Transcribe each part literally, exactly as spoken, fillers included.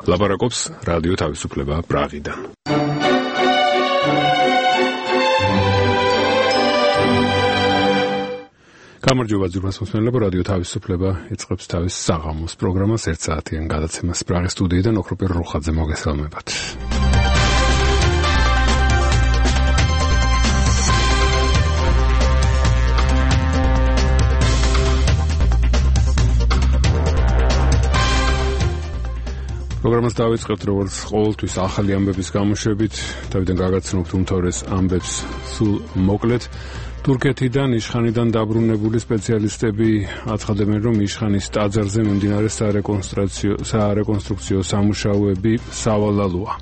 ლაპარაკობს რადიო თავისუფლება პრაღიდან. გამარჯობა ძვირფას მოსმენელებო, რადიო თავისუფლება იწყებს თავის საღამოს პროგრამას ერთ საათიან გადაცემას პრაღის სტუდიიდან ოქროპირ რუხაძე მოგესალმებათ. პროგრამას დავიწყებთ როგორც ყოველთვის ახალი ამბების გამოშვებით, თავიდან გაგაცნობთ უმთავრეს ამბებს სულ მოკლედ. თურქეთიდან იშხანიდან დაბრუნებული სპეციალისტები აცხადებენ, რომ იშხანის ტაძარზე მიმდინარე სარეკონსტრუქციო სარეკონსტრუქციო სამუშაოები სავალალოა.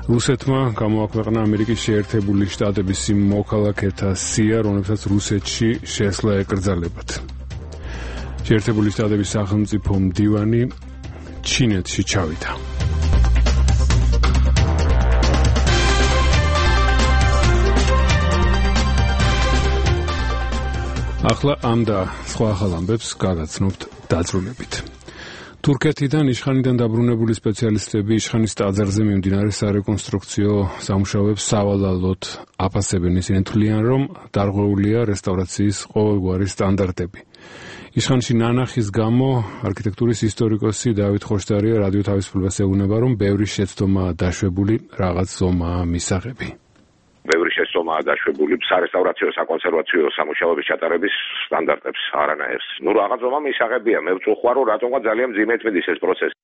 რუსეთმა გამოაქვეყნა ამერიკის შეერთებული შტატების იმ მოქალაქეთა სია, რომლებსაც რუსეთში შესვლა ეკრძალებათ. შეერთებული შტატების სახელმწიფო მდივანი ჩინეთში ჩავიდა. ახლა ამ და სხვა ახალ ამბებს გაგაცნობთ დაწვრილებით. თურქეთიდან იშხანიდან დაბრუნებული სპეციალისტები იშხანის ტაძარზე მიმდინარე სარეკონსტრუქციო სამუშაოებს სავალალოდ აფასებენ. ისინი თვლიან, რომ დარღვეულია რესტავრაციის ყოველგვარი სტანდარტები. იშხანში ნანახის გამო არქიტექტურის ისტორიკოსი დავით ხოშტარია რადიო თავისუფლებას ეუბნება, რომ ბევრი შეცდომაა დაშვებული, რაღაც ზომაა მისაღები. ბევრი შეცდომაა დაშვებული სარესტავრაციო საკონსერვაციო სამუშაოების ჩატარების სტანდარტებს არანაირს. ნუ რაღაც ზომა მისაღებია. მე ვწუხარ, რომ რატომღა ძალიან მძიმედ მიდის ეს პროცესი.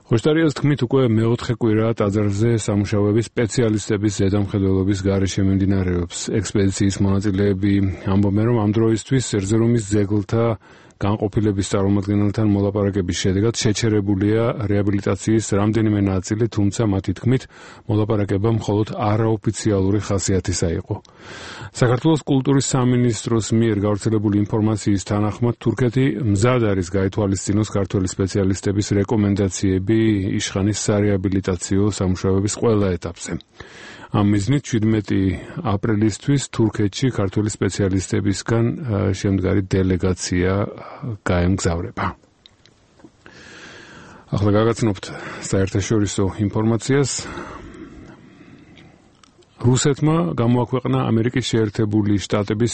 ხოშტარიას თქმით, უკვე მეოთხე კვირაა ტაძარზე სამუშაოების სპეციალისტების ზედამხედველობის გარეშე მიმდინარეობს. ექსპედიციის მონაწილეები ამბობენ, რომ ამ დროისთვის ერზერუმის ძეგლთა განყოფილების წარმომადგენელთან მოლაპარაკების შედეგად შეჩერებულია რეაბილიტაციის რამდენიმე ნაწილი, თუმცა მათი თქმით, მოლაპარაკება მხოლოდ არაოფიციალური ხასიათისა იყო. საქართველოს კულტურის სამინისტროს მიერ გავრცელებული ინფორმაციის თანახმად, თურქეთი მზად არის გაითვალისწინოს ქართველი სპეციალისტების რეკომენდაციები იშხანის სარეაბილიტაციო სამუშაოების ყველა ეტაპზე. ამ მიზნით შვიდმეტი აპრილისთვის თურქეთში ქართველი სპეციალისტებისგან შემდგარი დელეგაცია გაემგზავრება. ახლა გაგაცნობთ საერთაშორისო ინფორმაციას. რუსეთმა გამოაქვეყნა ამერიკის შეერთებული შტატების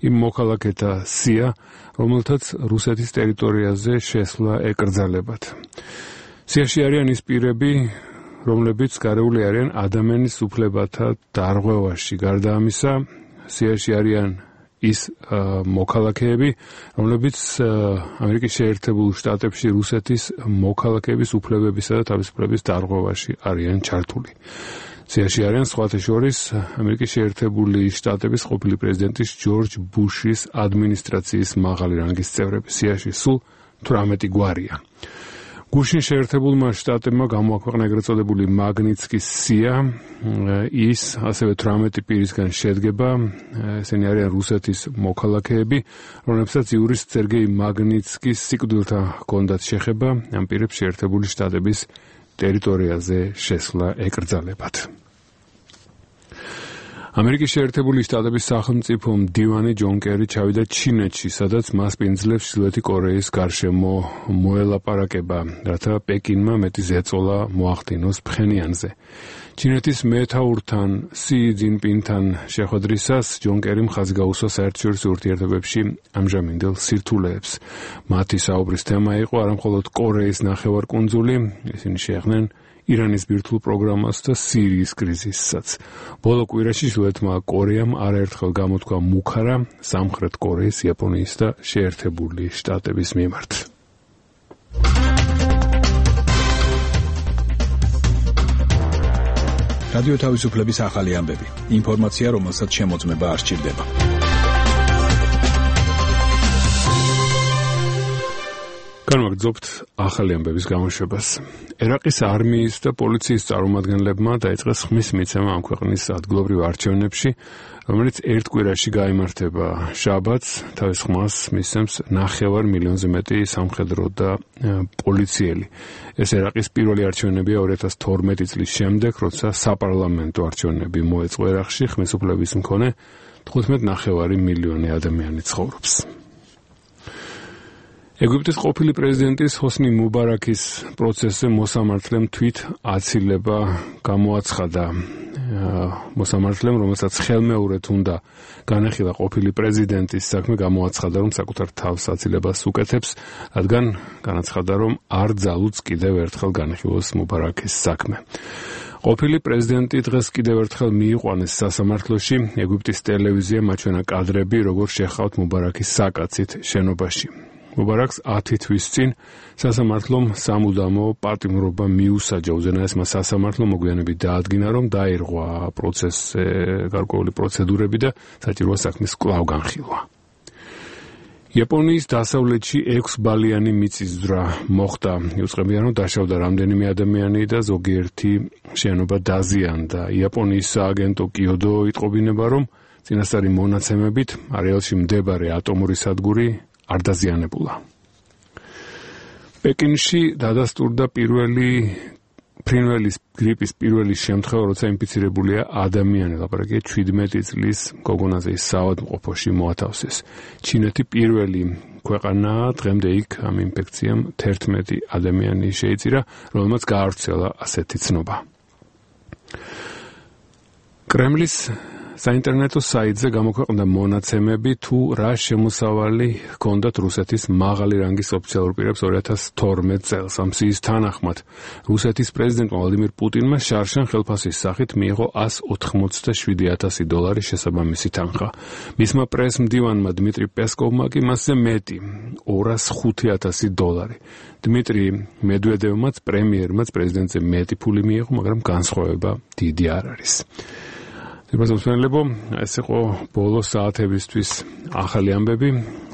იმ მოქალაქეთა სია, რომელთაც რუსეთის ტერიტორიაზე შესვლა ეკრძალებათ. სიაში არიან ის პირები, რომლებიც გარეული არიან ადამიანის უფლებათა დარღვევაში. გარდა ამისა, სიაში არიან ის მოქალაქეები, რომლებიც ამერიკის შეერთებულ შტატებში რუსეთის მოქალაქეების უფლებებისა და თავისუფლების დარღვევაში არიან ჩართული. სიაში არიან სხვათა შორის ამერიკის შეერთებული შტატების ყოფილი პრეზიდენტის ჯორჯ ბუშის ადმინისტრაციის მაღალი რანგის წევრები. სიაში სულ თვრამეტი გვარია. გუშინ შეერთებულმა შტატებმა გამოაქვეყნა ეგრეთ წოდებული მაგნიცკის სია, ის ასევე თვრამეტი პირისგან შედგება, ესენი არიან რუსეთის მოქალაქეები, რომლებსაც იურის სერგეი მაგნიცკის სიკვდილთან ჰქონდათ შეხება, ამ პირებს შეერთებული შტატების ტერიტორიაზე შესვლა ეკრძალებათ. ამერიკის შეერთებული შტატების სახელმწიფო მდივანი ჯონ კერი ჩავიდა ჩინეთში, სადაც მას პინძლებს ჩრდილოეთი კორეის გარშემო მოელაპარაკება, რათა პეკინმა მეტი ზეწოლა მოახდინოს ფხენიანზე. ჩინეთის მეთაურთან სი ძინპინთან შეხვედრისას ჯონ კერიმ ხაზი გაუსვა საერთაშორისო ურთიერთობებში ამჟამინდელ სირთულეებს. მათი საუბრის თემა იყო არამხოლოდ კორეის ნახევარკუნძული, ისინი შეეხნენ ირანის ბირთვულ პროგრამას და სირიის კრიზისსაც. ბოლო კვირაში ჩრდილოეთმა კორეამ არაერთხელ გამოთქვა მუქარა სამხრეთ კორეის, იაპონიის და შეერთებული შტატების მიმართ. რადიო თავისუფლების ახალი ამბები. ინფორმაცია, რომელსაც შემოწმება არ სჭირდება. განვაგრძობთ ახალი ამბების გამოშვებას. ერაყის არმიის და პოლიციის წარმომადგენლებმა დაიწყეს ხმის მიცემა ამ ქვეყნის ადგილობრივ არჩევნებში, რომელიც ერთ კვირაში გაიმართება. შაბათს თავის ხმას მისცემს ნახევარ მილიონზე მეტი სამხედრო და პოლიციელი. ეს ერაყის პირველი არჩევნებია ორი ათას თორმეტი წლის შემდეგ, როცა საპარლამენტო არჩევნები მოეწყო ერაყში, ხმის უფლების მქონე თხუთმეტ ნახევარი მილიონი ადამიანი ცხოვრობს. ეგვიპტის ყოფილი პრეზიდენტის ჰოსნი მუბარაქის პროცესზე მოსამართლემ თვით აცილება გამოაცხადა. მოსამართლემ, რომელსაც ხელმეორედ უნდა განეხილა ყოფილი პრეზიდენტის საქმე, გამოაცხადა, რომ საკუთარ თავს აცილებას უკეთებს, რადგან განაცხადა, რომ არ ძალუც კიდევ ერთხელ განეხილოს მუბარაქის საქმე. ყოფილი პრეზიდენტი დღეს კიდევ ერთხელ მიიყვანეს სასამართლოში. ეგვიპტის ტელევიზიამ აჩვენა კადრები, როგორ შეხავთ მუბარაქის საკაცით შენობაში. მუბარაქს ათი თვის წინ სასამართლომ სამუდამო პატიმრობა მიუსაჯა. უზენაესმა სასამართლომ მოგვიანებით დაადგინა, რომ დაირღვა პროცესზე გარკვეული პროცედურები და საჭიროა საქმის კვლავ განხილვა. იაპონიის დასავლეთში ექვსბალიანი მიწისძვრა მოხდა. იუწყებიან, რომ დაშავდა რამდენიმე ადამიანი და ზოგიერთი შენობა დაზიანდა. იაპონიის სააგენტო კიოდო იტყობინება, რომ წინასწარი მონაცემებით არეალში მდებარე ატომური სადგური არ დაზიანებულა. პეკინში დადასტურდა პირველი ფრინველის გრიპის პირველი შემთხვევა, როცა ინფიცირებულია ადამიანი. ლაპარაკია ჩვიდმეტი წლის გოგონაზე საავადმყოფოში მოათავსეს. ჩინეთი პირველი ქვეყანაა, დღემდე იქ ამ ინფექციამ თერთმეტი ადამიანი შეიწირა, რომელმაც გაავრცელა ასეთი ცნობა. კრემლის საინტერნეტო საიტზე გამოქვეყნდა მონაცემები, თუ რა შემოსავალი ჰქონდათ რუსეთის მაღალი რანგის ოფიციალურ პირებს ორი ათას თორმეტ წელს. ამ სიის თანახმად რუსეთის პრეზიდენტმა ვლადიმირ პუტინმა შარშან ხელფასის სახით მიიღო ასი ოთხმოცდაშვიდი ათასი დოლარი შესაბამისი თანხა. მისმა პრეს-მდივანმა დმიტრი პესკოვმა კი მასზე მეტი ორას ხუთი ათასი დოლარი. დმიტრი მედვედევმაც პრემიერმაც პრეზიდენტზე მეტი ფული მიიღო, მაგრამ განსხვავება დიდი არ არის. Դեպի այս იყო բոլոր საათებისთვის ახალი ამბები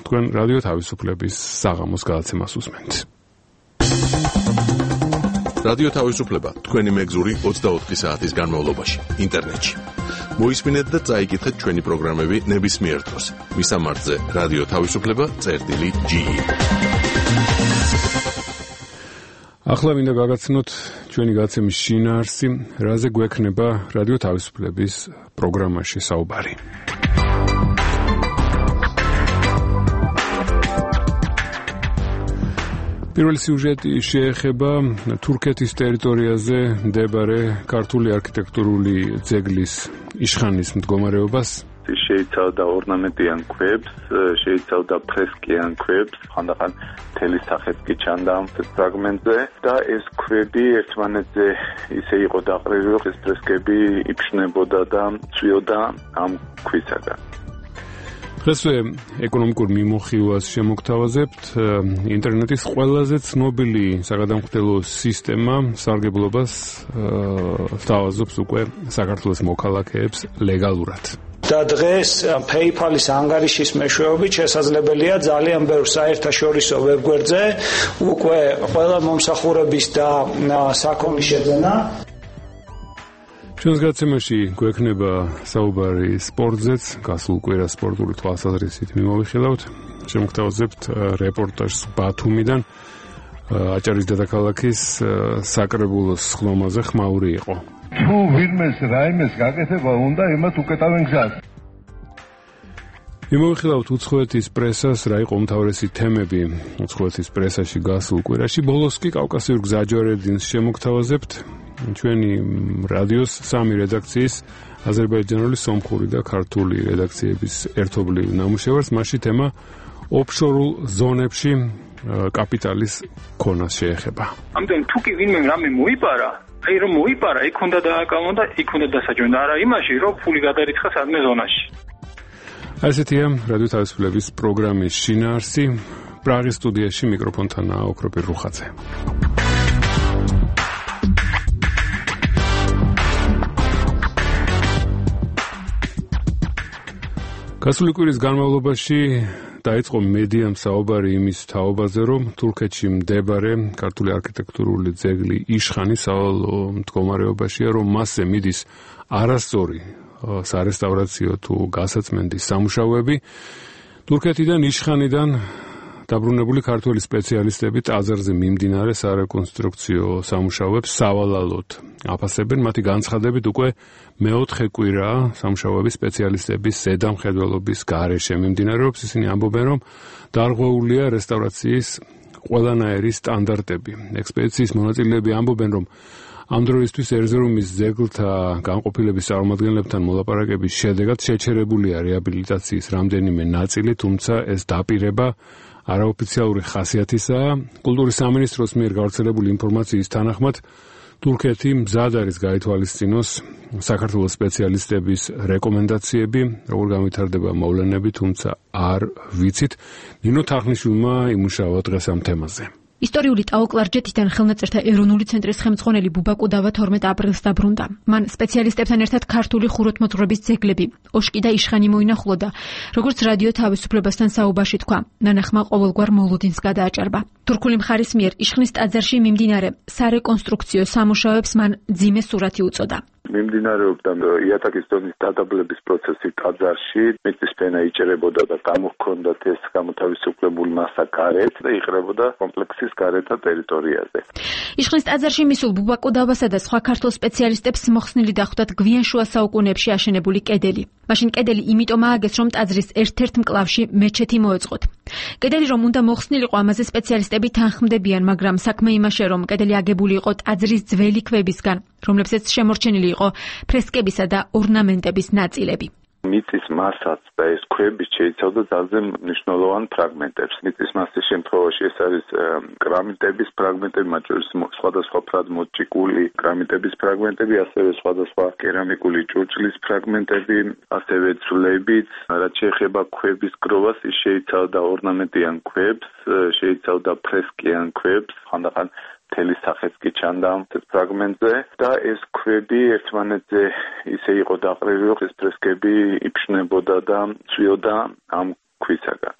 თქვენ რადიო თავისუფლების საღამოს გადაცემას უსმენთ. რადიო თავისუფლება თქვენი მეგზური ოცდაოთხი საათის განმავლობაში ინტერნეტში. მოისმინეთ და წაიკითხეთ ჩვენი პროგრამები ნებისმიერ დროს. მისამართზე რადიო თავისუფლება წერტილი ჯი ი. ახლა მინდა გაგაცნოთ ჩვენი გადაცემის შინაარსი, რაზე გვექნება რადიო თავისუფლების პროგრამაში საუბარი. პირველი სიუჟეტი შეეხება თურქეთის ტერიტორიაზე მდებარე ქართული არქიტექტურული ძეგლის იშხანის მდგომარეობას. შეიცავდა ორნამენტიან ქვებს, შეიცავდა ფრესკიან ქვებს, ხანდახან მთელი სახეც კი ჩანდა ამ ფრაგმენტზე და ეს ქვები ერთმანეთზე ისე იყო დაყრილი, რომ ეს ფრესკები იფშნებოდა და წვიოდა ამ ქვისაგან. დღესვე ეკონომიკურ მიმოხილვას შემოგთავაზებთ. ინტერნეტის ყველაზე ცნობილი საგადამხდელო სისტემა სარგებლობას სთავაზობს უკვე საქართველოს მოქალაქეებს ლეგალურად. და დღეს PayPal-ის ანგარიშის მეშვეობით შესაძლებელია ძალიან ბევრ საერთაშორისო ვებგვერდზე უკვე ყველა მომსახურების და საქონლის შეძენა. ჩვენს გადაცემაში გვექნება საუბარი სპორტზეც, გასულ კვირას სპორტული თვალსაზრისით მიმოვიხილავთ. შემოგთავაზებთ რეპორტაჟს ბათუმიდან. აჭარის დედაქალაქის საკრებულოს ხლომაზე ხმაური იყო. თუ ვინმეს რაიმეს გაკეთება უნდა, იმათ უკეტავენ გზას. მიმოვიხილავთ უცხოეთის პრესას, რა იყო უმთავრესი თემები უცხოეთის პრესაში გასულ კვირაში. ბოლოს კი კავკასიურ გზაჯვარედინს შემოგთავაზებთ. ჩვენი რადიოს სამი რედაქციის აზერბაიჯანული, სომხური და ქართული რედაქციების ერთობლივ ნამუშევარს, მასში თემა ოფშორულ ზონებში კაპიტალის ქონას შეეხება. ამდენ თუ კი ვინმე რამე მოიპარა, აი რომ მოიპარა, იქ უნდა დააკავო და იქ უნდა დასაჯონ, არა იმაში, რომ ფული გადარიცხა სადმე ზონაში. ასეთია რადიო თავისუფლების პროგრამის შინაარსი. პრაღის სტუდიაში მიკროფონთანაა ოქროპირ რუხაძე. გასული კვირის განმავლობაში დაიწყო მედიამ საუბარი იმის თაობაზე, რომ თურქეთში მდებარე ქართული არქიტექტურული ძეგლი იშხანი სავალო მდგომარეობაშია, რომ მასზე მიდის არასწორი სარესტავრაციო თუ გასაწმენდის სამუშაოები. თურქეთიდან იშხანიდან დაბრუნებული ქართველი სპეციალისტები ტაძარზე მიმდინარე სარეკონსტრუქციო სამუშაოებს სავალალოდ აფასებენ. მათი განცხადებით უკვე მეოთხე კვირა სამუშაოების სპეციალისტების ზედამხედველობის გარეშე მიმდინარეობს. ისინი ამბობენ, რომ დარღვეულია რესტავრაციის ყველანაირი სტანდარტები. ექსპედიციის მონაწილეები ამბობენ, რომ ამ დროისთვის ერზერუმის ძეგლთა განყოფილების წარმომადგენლებთან მოლაპარაკების შედეგად შეჩერებულია რეაბილიტაციის რამდენიმე ნაწილი, თუმცა ეს დაპირება არაოფიციალური ხასიათისაა. კულტურის სამინისტროს მიერ გავრცელებული ინფორმაციის თანახმად თურქეთი მზად არის გაითვალისწინოს საქართველოს სპეციალისტების რეკომენდაციები, როგორ განვითარდება მოვლენები, თუმცა არ ვიცით. ნინო თახნიშვილმა იმუშავა დღეს ამ თემაზე. ისტორიული ტაო-კლარჯეთიდან ხელნაწერთა ეროვნული ცენტრის ხელმძღვანელი ბუბა კუდავა თორმეტ აპრილს დაბრუნდა. მან სპეციალისტებთან ერთად ქართული ხუროთმოძღვრების ძეგლები, ოშკი და იშხანი მოინახულა და როგორც რადიო თავისუფლებასთან საუბარში თქვა, ნანახმა ყოველგვარ მოლოდინს გადააჭარბა. თურქული მხარის მიერ იშხნის ტაძარში მიმდინარე სარეკონსტრუქციო სამუშაოებს მან ძიმე სურათი უწოდა. მიმდინარეობდა იატაკის დონის დადაბლების პროცესი ტაძარში, მიწის ფენა იჭერებოდა და გამოჰქონდათ ეს გამოთავისუფლებული მასა გარეთ და იყრებოდა კომპლექსის გარეთა ტერიტორიაზე. იშხნის ტაძარში მისულ ბუბა კუდავასა და სხვა ქართულ სპეციალისტებს მოხსნილი დახვდათ გვიან შუა საუკუნეებში აშენებული კედელი. მაშინ კედელი იმიტომ ააგეს, რომ ტაძრის ერთ-ერთ მკლავში მეჩეთი მოეწყოთ. კედელი რომ უნდა მოხსნილიყო, ამაზე სპეციალისტები თანხმდებიან, მაგრამ საქმე იმაშია, რომ კედელი აგებული იყო ტაძრის ძველი ქვებისგან, რომლებსაც შემორჩენილი იყო ფრესკებისა და ორნამენტების ნაწილები. მიწის მასაც და ეს ქვები შეიცავდა ძალზე მნიშვნელოვან ფრაგმენტებს. მიწის მასის შემთხვევაში ეს არის კრამიტების ფრაგმენტები, მათ შორის სხვადასხვა ფრად მოჭიკული კრამიტების ფრაგმენტები, ასევე სხვადასხვა კერამიკული ჭურჭლის ფრაგმენტები, ასევე ძვლებიც. რაც შეეხება ქვების გროვას, ის შეიცავდა ორნამენტიან ქვებს, შეიცავდა ფრესკიან ქვებს, ხანდახან თელი სახეც კი ჩანდა ეს ფრაგმენტზე და ეს ქვები ერთმანეთზე ისე იყო დაყრილი, რომ ეს ფრესკები იფშნებოდა და წვიოდა ამ ქვისაგან.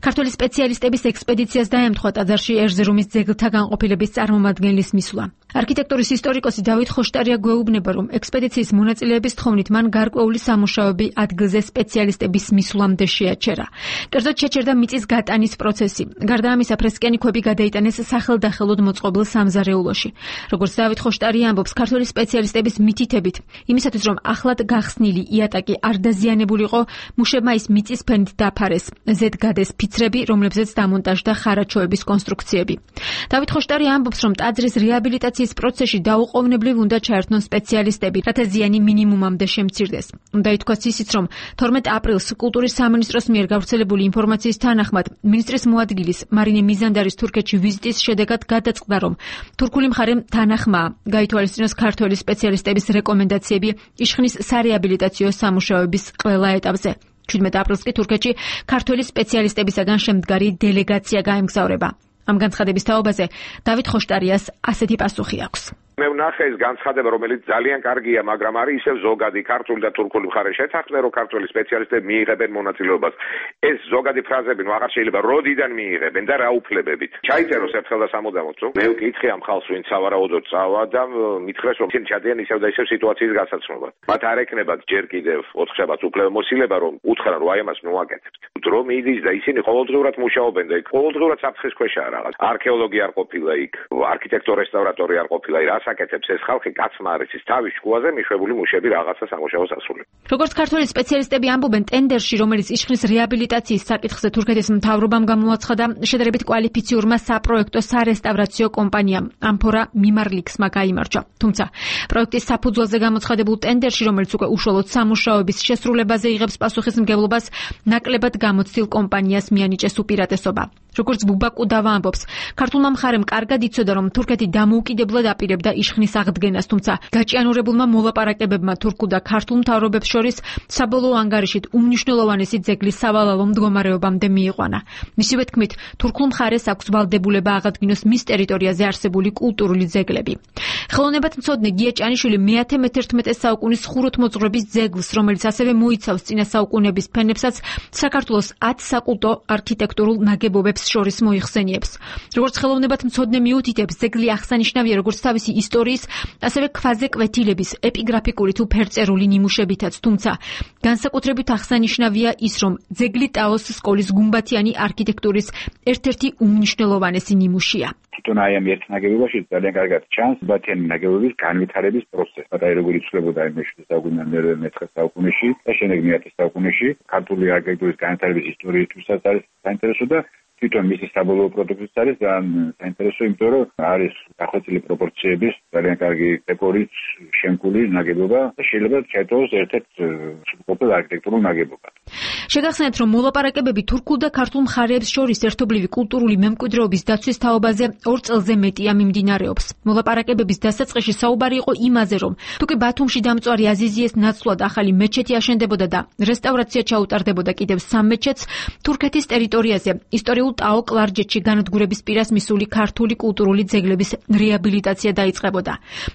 ქართული სპეციალისტების ექსპედიციას დაემთხვა ტაძარში ერზერუმის ძეგლთა განყოფილების წარმომადგენლის მისვლა. არქიტექტურის ისტორიკოსი დავით ხოშტარია გვეუბნება, რომ ექსპედიციის მონაწილეების თხოვნით მან გარკვეული სამუშაოები ადგილზე სპეციალისტების მისვლამდე შეაჩერა. კერძოდ შეჩერდა მიწის გატანის პროცესი. გარდა ამისა, ფრესკიანი ქვები გადაიტანეს სახელდახელოდ მოწყობილ სამზარეულოში. როგორც დავით ხოშტარია ამბობს, ქართული სპეციალისტების მითითებით, იმისათვის რომ ახლად გახსნილი იატაკი არ დაზიანებულიყო, მუშებმა ის მიწის ფენით დაფარეს. ზედ გადეს ფიცრები, რომლებზეც დამონტაჟდა ხარაჩოების კონსტრუქციები. დავით ხოშტარია ამბობს, რომ ტაძრის რეაბილიტაციის პროცესში დაუყოვნებლივ უნდა ჩაერთნონ სპეციალისტები, რათა ზიანი მინიმუმამდე შემცირდეს. უნდა ითქვას ისიც, რომ თორმეტ აპრილს კულტურის სამინისტროს მიერ გავრცელებული ინფორმაციის თანახმად, მინისტრის მოადგილის მარინე მიზანდარის თურქეთში ვიზიტის შედეგად გადაწყდა, რომ თურქული მხარემ თანახმაა გაითვალისწინოს ქართველი სპეციალისტების რეკომენდაციები იშხნის სარეაბილიტაციო სამუშაოების ყველა ეტაპზე. ჩვიდმეტ აპრილს კი თურქეთში ქართველი სპეციალისტებისაგან შემდგარი დელეგაცია გაემგზავრება. ამ განცხადების თაობაზე დავით ხოშტარიას ასეთი პასუხი აქვს. მე ვნახე ეს განცხადება, რომელიც ძალიან კარგია, მაგრამ არის ისევ ზოგადი ქართული და თურქული მხარე შეთანხმდა, რომ ქართული სპეციალისტები მიიღებენ მონაწილეობას. ეს ზოგადი ფრაზები ნუ აღარ შეიძლება როდიდან მიიღებენ და რა უფლებებით. ჩაიწეროს ერთხელ და სამუდამოდ, რომ მე ვკითხე ამ ხალხს, ვინც სავარაუდოდ წავა და მითხრეს, რომ ისინი ჩადიან ისევ და ისევ სიტუაციის გასაცნობად. მათ არ ეკნებათ ჯერ კიდევ ოთხშაბათს უფლებამოსილება, რომ უთხრან, რომ აი ამას ნუ აკეთებთ. დრო მიდის და ისინი ყოველდღიურად მუშაობენ და იქ ყოველდღიურად საფრთხის ქვეშაა რაღაც. არქეოლოგი არ ყოფილა იქ, არქიტექტორ რესტავრატორი არ ყოფილა, რას აკეთებს ეს ხალხი, კაცმა არის ის თავის შუაზე მიშვებული მუშები რაღაცა სამუშაოს ასრულებს. როგორც ქართული სპეციალისტები ამბობენ, ტენდერში, რომელიც იშხნის რეაბილიტაციის საკითხზე თურქეთის მთავრობამ გამოაცხადა, შედარებით კვალიფიციურმა საპროექტო სარესტავრაციო კომპანიამ ამფორა მიმარლიქსმა გაიმარჯვა. თუმცა პროექტის საფუძველზე გამოცხადებულ ტენდერში, რომელიც უკვე უშუალოდ სამუშაოების შესრულებაზე იღებს პასუხისმგებლობას, ნაკლებად გამოცდილ კომპანიას მიანიჭეს უპირატესობა. როგორც ბუბა კუდავა ამბობს, ქართულმა მხარემ კარგად იცოდა, რომ თურქეთი დამოუკიდებლად აპირებდა იშხნის აღდგენას, თუმცა გაჭიანურებულმა მოლაპარაკებებმა თურქულ და ქართულ მთავრობებს შორის საბოლოო ანგარიშით უმნიშვნელოვანესი ძეგლის სავალალო მდგომარეობამდე მიიყვანა. მისივე თქმით, თურქულ მხარეს აქვს ვალდებულება აღადგინოს მის ტერიტორიაზე არსებული კულტურული ძეგლები. ხელოვნებათმცოდნე გია ჭანიშვილი მეათე მეთერთმეტე საუკუნის ხუროთმოძღვრების ძეგლს, რომელიც ასევე მოიცავს წინა საუკუნეების ფენებსაც, საქართველოს ათ საკულტო არქიტექტურულ ნაგებობებს მხარეებს შორის მოიხსენიებს. როგორც ხელოვნებად მცოდნე მიუთითებს, ძეგლი აღსანიშნავია როგორც თავისი ისტორიის, ასევე ქვაზე კვეთილების, ეპიგრაფიკური თუ ფერწერული ნიმუშებითაც, თუმცა განსაკუთრებით აღსანიშნავია ის, რომ ძეგლი ტაოს სკოლის გუმბათიანი არქიტექტურის ერთ-ერთი უმნიშვნელოვანესი ნიმუშია. თვითონ აი ამ ერთ ნაგებობაში ძალიან კარგად ჩანს გუმბათიანი ნაგებობის განვითარების პროცესი. აი როგორ იცვლებოდა იმ მეშვიდე საუკუნეში, მეცხრე საუკუნეში და შემდეგ მეათე საუკუნეში ქართული არქიტექტურის განვითარების ისტორიისთვისაც არის საინტერესო და თვითონ მისი საბოლოო პროდუქტიც არის ძალიან საინტერესო, იმიტომ რომ არის დახვეწილი პროპორციების ძალიან კარგი დეკორით შემკული ნაგებობა და შეიძლება ჩაითვალოს ერთ-ერთ სრულყოფილ არქიტექტურულ ნაგებობად. შეგახსენებთ, რომ მოლაპარაკებები თურქულ და ქართულ მხარეებს შორის ერთობლივი კულტურული მემკვიდრეობის დაცვის თაობაზე ორ წელზე მეტია მიმდინარეობს. მოლაპარაკებების დასაწყისში საუბარი იყო იმაზე, რომ თუკი ბათუმში დამწვარი აზიზიეს ნაცვლად ახალი მეჩეთი აშენდებოდა და რესტავრაცია ჩაუტარდებოდა კიდევ სამ მეჩეთს, თურქეთის ტერიტორიაზე ისტორიულ ტაო კლარჯეთში განადგურების პირას მისული ქართული კულტურული ძეგლების რეაბილიტაცია დაიწყებოდა.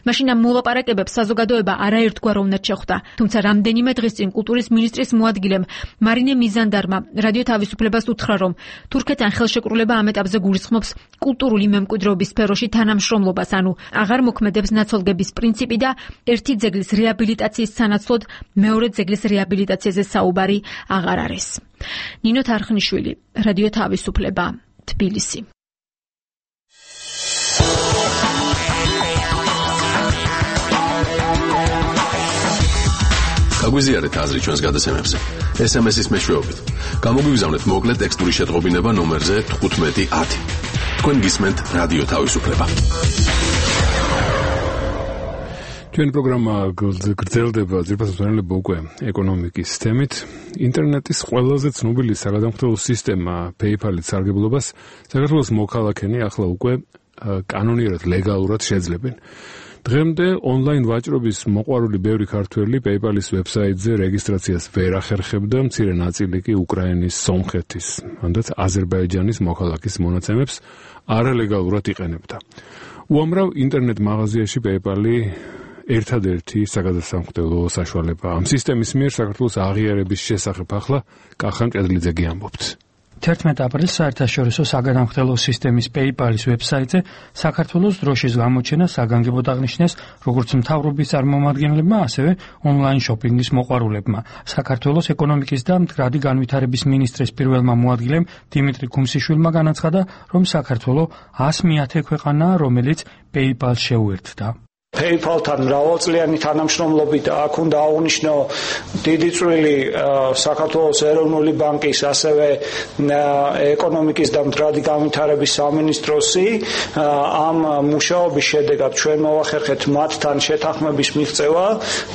მაშინ ამ მოლაპარაკებებს საზოგადოება არაერთგვაროვნად შეხვდა, თუმცა რამდენიმე დღის წინ კულტურის მინისტრის მოადგილემ მარინე მიზანდარმა რადიო თავისუფლებას უთხრა, რომ თურქეთთან ხელშეკრულება ამ ეტაპზე გულისხმობს კულტურული მემკვიდრეობის სფეროში თანამშრომლობას, ანუ აღარ მოქმედებს ნაცვალგების პრინციპი და ერთი ძეგლის რეაბილიტაციის სანაცვლოდ მეორე ძეგლის რეაბილიტაციაზე საუბარი აღარ არის. ნინო თარხნიშვილი, რადიო თავისუფლება, თბილისი. გაგვიზიარეთ აზრი ჩვენს გადაცემებზე. ეს em es-ის მეშვეობით. გამოგვიგზავნეთ მოკლე ტექსტური შეტყობინება ნომერზე თხუთმეტი ათი. თქვენ გისმენთ რადიო თავისუფლება. ჩვენი პროგრამა გრძელდება ძირფასად ვენელება უკვე ეკონომიკის თემით. ინტერნეტის ყველაზე ცნობილი საგადამხდელო სისტემა PayPal-ით სარგებლობას საქართველოს მოქალაქენი ახლა უკვე კანონიერად ლეგალურად შეძლებენ. დღემდე ონლაინ ვაჭრობის მოყვარული ბევრი ქართველი PayPal-ის ვებსაიტზე რეგისტრაციას ვერ ახერხებდა, მცირე ნაწილი კი უკრაინის, სომხეთის, მანდაც აზერბაიჯანის მოქალაქის მონაცემებს არალეგალურად იყენებდა. უამრავ ინტერნეტ მაღაზიაში PayPal-ი ერთადერთი საგადასამხდელო საშუალება. ამ სისტემის მიერ საქართველოს აღიარების შესახებ ახლა კახა მჭედლიძე ამბობს. თერთმეტი აპრილს საერთაშორისო საგადამხდელო სისტემის PayPal-ის ვებსაიტზე საქართველოს დროშის გამოჩენა საგანგებოდ აღნიშნეს როგორც მთავრობის წარმომადგენლებმა, ასევე ონლაინ შოპინგის მოყვარულებმა. საქართველოს ეკონომიკის და მდგრადი განვითარების მინისტრის პირველმა მოადგილემ დიმიტრი ქუმსიშვილმა განაცხადა, რომ საქართველო ას მეათე ქვეყანაა, რომელიც PayPal-ს შეუერთდა. PayPal-თან მრავალწლიანი თანამშრომლობით აქ უნდა აღვნიშნო დიდი წვლილი საქართველოს ეროვნული ბანკის, ასევე ეკონომიკის და მდგრადი განვითარების სამინისტროსი. ამ მუშაობის შედეგად ჩვენ მოვახერხეთ მათთან შეთანხმების მიღწევა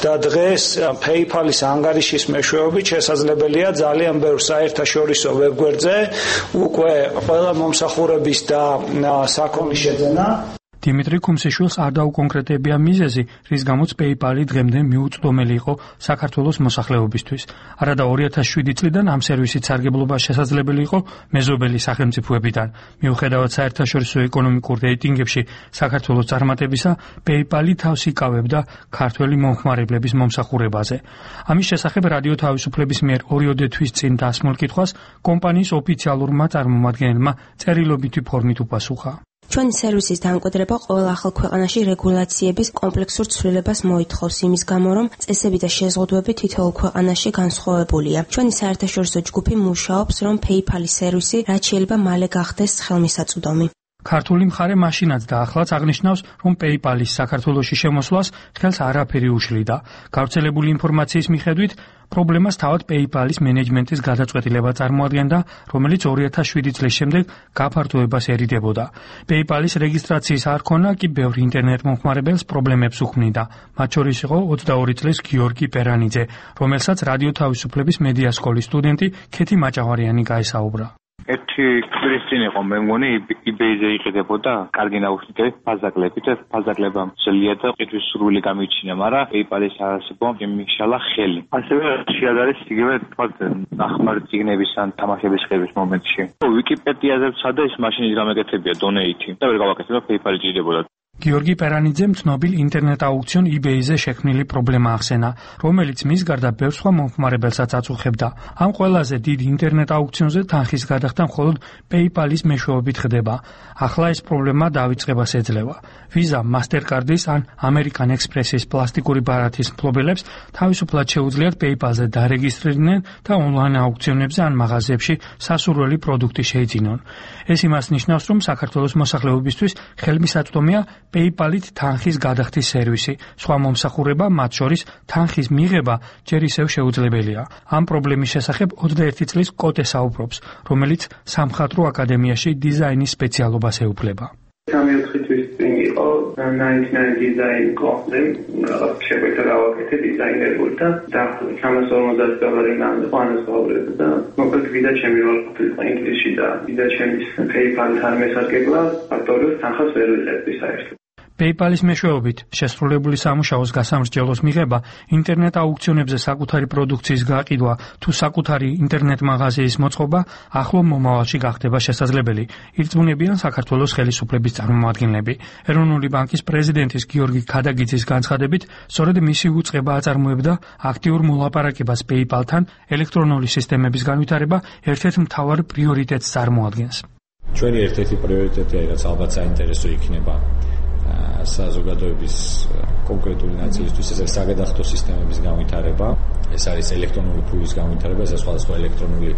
და დღეს PayPal-ის ანგარიშის მეშვეობით შესაძლებელია ძალიან ბევრ საერთაშორისო ვებგვერდზე უკვე ყველა მომსახურების და საქონლის შეძენა. დიმიტრი ქუმსიშვილს არ დაუკონკრეტებია მიზეზი, რის გამოც PayPal-ი დღემდე მიუწვდომელი იყო საქართველოს მოსახლეობისთვის. არადა ორი ათას შვიდი წლიდან ამ სერვისით სარგებლობა შესაძლებელი იყო მეზობელი სახელმწიფოებიდან. მიუხედავად საერთაშორისო ეკონომიკურ რეიტინგებში საქართველოს წარმატებისა, PayPal-ი თავს იკავებდა ქართველი მომხმარებლების მომსახურებაზე. ამის შესახებ რადიო თავისუფლების მიერ ორიოდე თვის წინ დასმულ კითხვას კომპანიის ოფიციალურმა წარმომადგენელმა წერილობითი ფორმით უპასუხა. ჩვენი სერვისის დამკვიდრება ყოველ ახალ ქვეყანაში რეგულაციების კომპლექსურ ცვლილებას მოითხოვს იმის გამო, რომ წესები და შეზღუდვები თითოეულ ქვეყანაში განსხვავებულია. ჩვენი საერთაშორისო ჯგუფი მუშაობს, რომ PayPal-ის სერვისი რაც შეიძლება მალე გახდეს ხელმისაწვდომი. ქართული მხარე მაშინაც და ახლაც აღნიშნავს, რომ PayPal-ის საქართველოში შემოსვლას ხელს არაფერი უშლიდა. გავრცელებული ინფორმაციის მიხედვით, პრობლემას თავად PayPal-ის მენეჯმენტის გადაწყვეტილება წარმოადგენდა, რომელიც ორი ათას შვიდი წლის შემდეგ გაფართოებას ერიდებოდა. PayPal-ის რეგისტრაციის არ ქონა კი ბევრი ინტერნეტ მომხმარებელს პრობლემებს უქმნიდა. მათ შორის იყო ოცდაორი წლის გიორგი პერანიძე, რომელსაც რადიო თავისუფლების მედია სკოლის სტუდენტი ქეთი მაჭავარიანი გაესაუბრა. ერთი კვირის წინ იყო მე მგონი eBay-ზე იყიდებოდა კარგი ნაუშნიკები ფაზაკლებით და ფაზაკლება მძლია და ყიდვის სურვილი გამიჩინა, მაგრამ PayPal-ის არასებო მიმიშალა ხელი. ასევე შეადარეს იგივე თქვათ ნახმარი წიგნების ან თამაშების ხების მომენტში. Wikipediაზე ვცადე ის მაშინ გამეკეთებია donate და ვერ გავაკეთებია PayPal-ი ჭირდებოდა. გიორგი პერანიძემ ცნობილ ინტერნეტ აუქციონ eBay-ზე შექმნილი პრობლემა ახსენა, რომელიც მის გარდა ბევრ სხვა მომხმარებელსაც აწუხებდა. ამ ყველაზე დიდ ინტერნეტ აუქციონზე თანხის გადახდა მხოლოდ PayPal-ის მეშვეობით ხდება. ახლა ეს პრობლემა დავიწყებას ეძლევა. Visa, Mastercard-ის ან American Express-ის პლასტიკური ბარათის მფლობელებს თავისუფლად შეუძლიათ PayPal-ზე დარეგისტრირდნენ და ონლაინ აუქციონებზე ან მაღაზიებში სასურველი პროდუქტი შეიძინონ. ეს იმას ნიშნავს, რომ საქართველოს მოსახლეობისთვის ხელმისაწვდომია PayPal-ით თანხის გადახდის სერვისი, სხვა მომსახურება, მათ შორის თანხის მიღება ჯერ ისევ შეუძლებელია. ამ პრობლემის შესახებ ოცდაერთი წლის კოტე საუბრობს, რომელიც სამხატვრო აკადემიაში დიზაინის სპეციალობას ეუფლება. სამი-ოთხი თვის წინ იყო ნაინტი-ნაინ დიზაინ კონსტემ, რაღაც შეგვეცა გავაკეთე დიზაინერული და დაახლოებით სამას ორმოცდაათი დოლარი ნამდვილ ანაზღაურებდა და მოკლედ ვიდა ჩემი როლი ყოფილიყო ინგლისში და ვიდა ჩემის PayPal-თან მესარგებლა ფაქტორიულ თანხას ვერ ვიღებდი საერთოდ. PayPal-ის მეშვეობით შესრულებული სამუშაოს გასამრჯელოს მიღება, ინტერნეტ აუქციონებზე საკუთარი პროდუქციის გაყიდვა თუ საკუთარი ინტერნეტ მაღაზიის მოწყობა ახლო მომავალში გახდება შესაძლებელი. ირწმუნებიან საქართველოს ხელისუფლების წარმომადგენლები. ეროვნული ბანკის პრეზიდენტის გიორგი ქადაგიძის განცხადებით, სწორედ მისი უწყება აწარმოებდა აქტიურ მოლაპარაკებას PayPal-თან, ელექტრონული სისტემების განვითარება ერთ-ერთ მთავარ პრიორიტეტს წარმოადგენს. ჩვენი ერთ-ერთი პრიორიტეტია, რაც ალბათ საინტერესო იქნება საზოგადოების კონკრეტული ნაწილისთვის, ეს არის საგადახდო სისტემების განვითარება, ეს არის ელექტრონული ფულის განვითარება, ეს სხვადასხვა ელექტრონული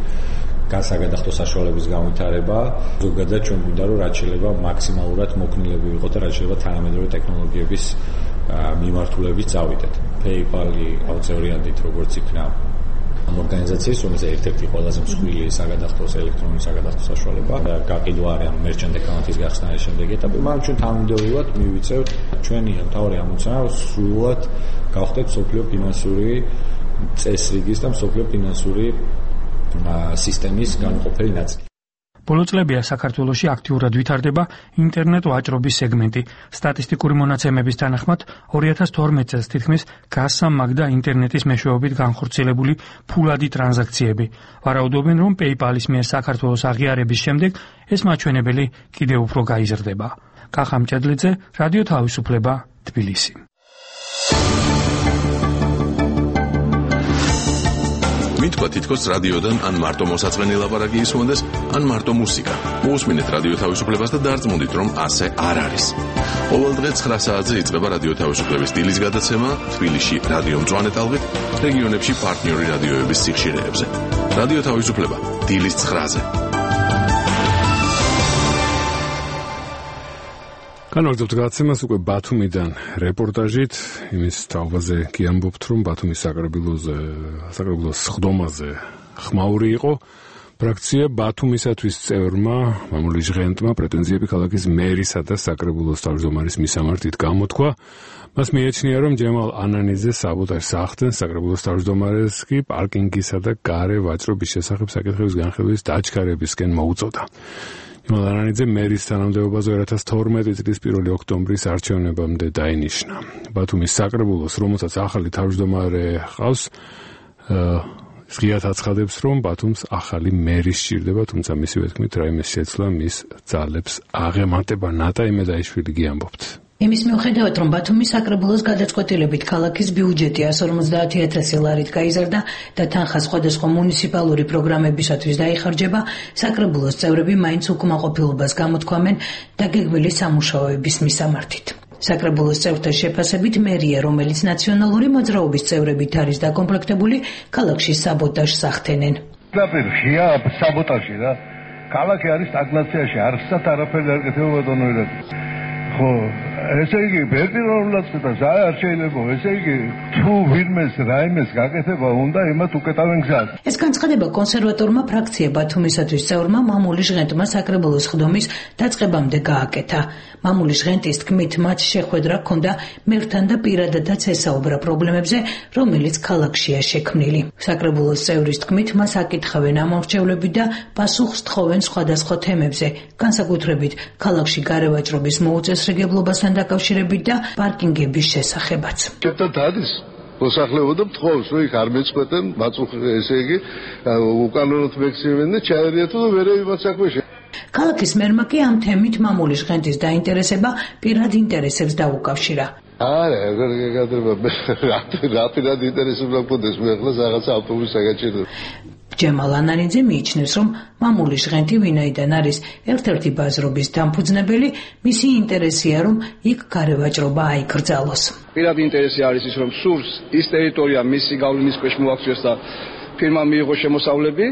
გასაგადახდო საშუალებების განვითარება. ზოგადად ჩვენ გვინდა რომ რაც შეიძლება მაქსიმალურად მოქნილები ვიყოთ და რაც შეიძლება თანამედროვე ტექნოლოგიების მიმართულებით წავიდეთ. PayPal-ი აუცილებლად როგორც იქნა ამ ორგანიზაციის, რომელიც ერთ-ერთი ყველაზე მსხვილი საგადახდოს ელექტრონული საგადახდო საშუალება და გაყიდვა არის ამ merchant account-ის გახსნა არის შემდეგი ეტაპი, მაგრამ ჩვენ თანამედროვეულად მივიწევთ ჩვენი მთავარი ამოცანა სრულად გავხდეთ სოფლიო ფინანსური წესრიგის და სოფლიო ფინანსური სისტემის განუყოფელი ნაწილი. ბოლო წლებია საქართველოში აქტიურად ვითარდება ინტერნეტ ვაჭრობის სეგმენტი. სტატისტიკური მონაცემების თანახმად ორი ათას თორმეტ წელს თითქმის გასამაგდა ინტერნეტის მეშვეობით განხორციელებული ფულადი ტრანზაქციები. ვარაუდობენ, რომ PayPal-ის მიერ საქართველოს აღიარების შემდეგ ეს მაჩვენებელი კიდევ უფრო გაიზრდება. კახა მჭედლიძე, რადიო თავისუფლება, თბილისი. მითქვა თითქოს რადიოდან ან მარტო მოსაწყენი ლაპარაკი ისმონდეს, ან მარტო მუსიკა. მოусმინეთ რადიო თავისუფლებას და დარწმუნდით, რომ ასე არ არის. ყოველ დღე ცხრა საათზე იწყება რადიო თავისუფლების დილის გადაცემა თბილისში რადიო მწვანე ტალღით, რეგიონებში პარტნიორი რადიოების სიხშირეებზე. რადიო თავისუფლება დილის ცხრაზე. განვაგრძობთ გადაცემას უკვე ბათუმიდან რეპორტაჟით, იმის თაობაზე კი ამბობთ, რომ ბათუმის საკრებულოზე, საკრებულოს სხდომაზე ხმაური იყო. ფრაქცია ბათუმისათვის წევრმა, მამული ჟღენტმა პრეტენზიები ქალაქის მერისა და საკრებულოს თავმჯდომარის მისამართით გამოთქვა. მას მიეჩნია, რომ ჯემალ ანანიძე საბოტაჟს ახდენს, საკრებულოს თავმჯდომარეს კი პარკინგისა და გარე ვაჭრობის შესახებ საკითხების განხილვის დაჩქარებისკენ მოუწოდა. ანანიძე მერის თანამდებობაზე ორი ათას თორმეტი წლის პირველი ოქტომბრის არჩევნებამდე დაინიშნა. ბათუმის საკრებულოს, რომელსაც ახალი თავმჯდომარე ჰყავს, ღიად აცხადებს, რომ ბათუმს ახალი მერი სჭირდება, თუმცა მისივე თქმით, რაიმე შეცვლა მის ძალებს აღემატება. ნატა იმედაიშვილი გიამბობთ. იმის მიუხედავად, რომ ბათუმის საკრებულოს გადაწყვეტილებით ქალაქის ბიუჯეტი εκατს ორმოცდაათი ათასი ლარით გაიზარდა და თანხა სხვადასხვა მუნიციპალური პროგრამებისათვის დაიხარჯება, საკრებულოს წევრები მაინც უკმაყოფილებას გამოთქვამენ დაგეგმილი სამუშაოების მისამართით. საკრებულოს წევრთა შეფასებით, მერია, რომელიც ნაციონალური მოძრაობის წევრებით არის დაკომპლექტებული, ქალაქში საბოტაჟს ახდენენ. ნაპირ ღია საბოტაჟი რა. ქალაქი არის სტაგნაციაში, არცად არაფერი არ გეთება ბატონოერად. ხო, ესე იგი, ბერტიროვნულად და ზაი არ შეიძლება, ესე იგი, თუ ვინმეს რაიმეს გაკეთება უნდა, იმათ უკეტავენ გზას. ეს განცხადება კონსერვატორმა ფრაქცია ბათუმისათვის წევრმა მამული ჟღენტმა საკრებულოს ხდომის დაწყებამდე გააკეთა. მამული ჟღენტის თქმით, მათ შეხვედრა ჰქონდა მერთან და პირადადაც ესაუბრა პრობლემებზე, რომელიც ქალაქშია შექმნილი. საკრებულოს წევრის თქმით, მას აკითხავენ ამორჩევლები და პასუხს თხოვენ სხვადასხვა თემებზე, განსაკუთრებით ქალაქში გარევაჭრობის მოუწესრიგებლობასთან დაკავშირებით და პარკინგების შესახებაც. კეთად არის მოსახლეობა თხოვს, რომ იქ არ მეწყვეტენ, მაწუხ ესე იგი, უკანონოდ მექცევენ და ჩაერიათ და ვერე იმათ საქმეში. ქალაქის მერმა კი ამ თემით მამული ჟღენტის დაინტერესება პირად ინტერესებს დაუკავშირა. არა, ეგრე რატირად ინტერესებს მოგდეს მე ახლა რაღაც ავტობუსს აგაჩერდა. ჯემალ ანანიძე მიიჩნევს, რომ მამული ჟღენტი ვინაიდან არის ერთ-ერთი ბაზრობის დამფუძნებელი, მისი ინტერესია, რომ იქ გარევაჭრობა აიკრძალოს. პირად ინტერესი არის ის, რომ სურს ის ტერიტორია მისი გავლენის ქვეშ მოაქციოს და ფირმა მიიღოს შემოსავლები,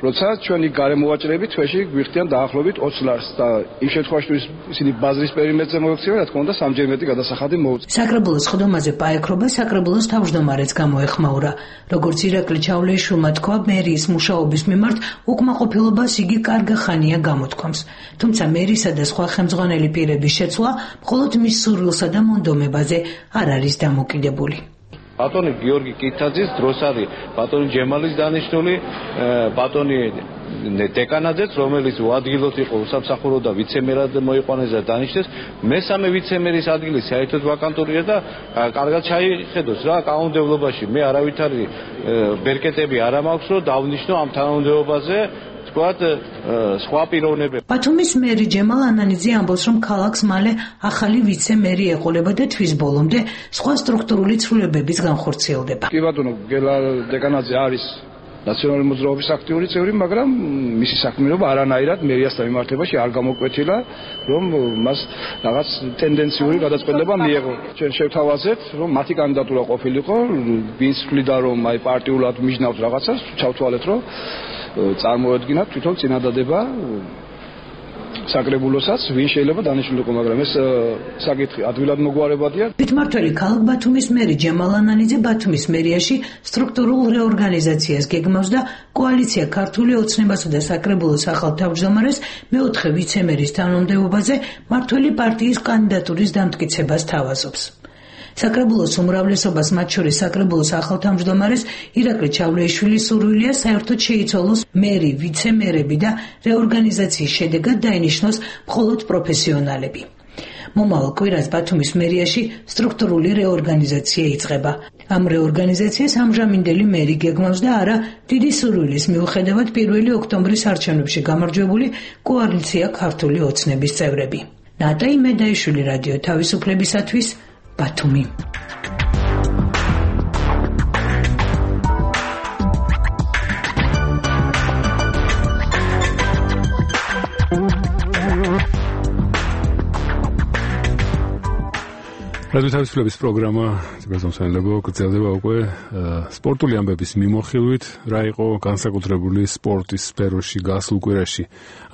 როცა ჩვენი გარემოვაჭრები თვეში გვიხდიან დაახლოებით ოცი ლარს და იმ შემთხვევაში თუ ისინი ბაზრის პერიმეტრზე მოექცევენ, რა თქმა უნდა სამჯერ მეტი გადასახადი მოუწევს. საკრებულოს ხდომაზე პაექრობა საკრებულოს თავმჯდომარეც გამოეხმაურა. როგორც ირაკლი ჩავლეიშვილმა თქვა, მერიის მუშაობის მიმართ უკმაყოფილებას იგი კარგა ხანია გამოთქვამს. თუმცა მერისა და სხვა ხელმძღვანელი პირების შეცვლა მხოლოდ მის სურვილსა და მონდომებაზე არ არის დამოკიდებული. ბატონი გიორგი კითაძის დროს არის ბატონი ჯემალის დანიშნული ბატონი დეკანაძეც, რომელიც უადგილოდ იყო უსამსახურო და ვიცემერად მოიყვანეს და დანიშნეს, მესამე ვიცემერის ადგილი საერთოდ ვაკანტურია და კარგად ჩაიხედოს რა კანონმდებლობაში. მე არავითარი ბერკეტები არ მაქვს, რომ დავნიშნო ამ თანამდებობაზე თქვათ სხვა პიროვნებები. ბათუმის მერი ჯემალ ანანიძე ამბობს, რომ ქალაქს მალე ახალი ვიცე-მერი ეყოლება და თვის ბოლომდე სხვა სტრუქტურული ცვლილებების განხორციელდება. კი ბატონო, გელა დეკანაძე არის ნაციონალური მოძრაობის აქტიური წევრი, მაგრამ მისი საქმიანობა არანაირად მერიასთან მიმართებაში არ გამოკვეთილა, რომ მას რაღაც ტენდენციური გადაწყვეტილება მიიღო. ჩვენ შევთავაზეთ, რომ მათი კანდიდატურა ყოფილიყო, ვინც თვლიდა, რომ აი პარტიულად მიჯნავს რაღაცას, ჩავთვალეთ, რომ წარმოედგინათ თვითონ წინადადება საკრებულოსაც, ვინ შეიძლება დანიშნულიყო, მაგრამ ეს საკითხი ადვილად მოგვარებადია. თვითმმართველი ქალაქ ბათუმის მერი ჯემალ ანანიძე ბათუმის მერიაში სტრუქტურულ რეორგანიზაციას გეგმავს და კოალიცია ქართული ოცნებასა და საკრებულოს ახალ თავმჯდომარეს მეოთხე ვიცემერის თანამდებობაზე მმართველი პარტიის კანდიდატურის დამტკიცებას თავაზობს. საკრებულოს უმრავლესობას, მათ შორის საკრებულოს ახალ თავმჯდომარეს ირაკლი ჩავლეიშვილის სურვილია საერთოდ შეიცვალოს მერი, ვიცემერები და რეორგანიზაციის შედეგად დაინიშნოს მხოლოდ პროფესიონალები. მომავალ კვირას ბათუმის მერიაში სტრუქტურული რეორგანიზაცია იწყება. ამ რეორგანიზაციას ამჟამინდელი მერი გეგმავს და არა დიდი სურვილის მიუხედავად პირველი ოქტომბრის არჩევნებში გამარჯვებული კოალიცია ქართული ოცნების წევრები. ნატა იმედაიშვილი, რადიო თავისუფლებისათვის, ბათუმი. რადიო თავისუფლების პროგრამა გასამსავალებო გრძელდება უკვე სპორტული ამბების მიმოხილვით, რა იყო განსაკუთრებული სპორტის სფეროში გასულ კვირაში.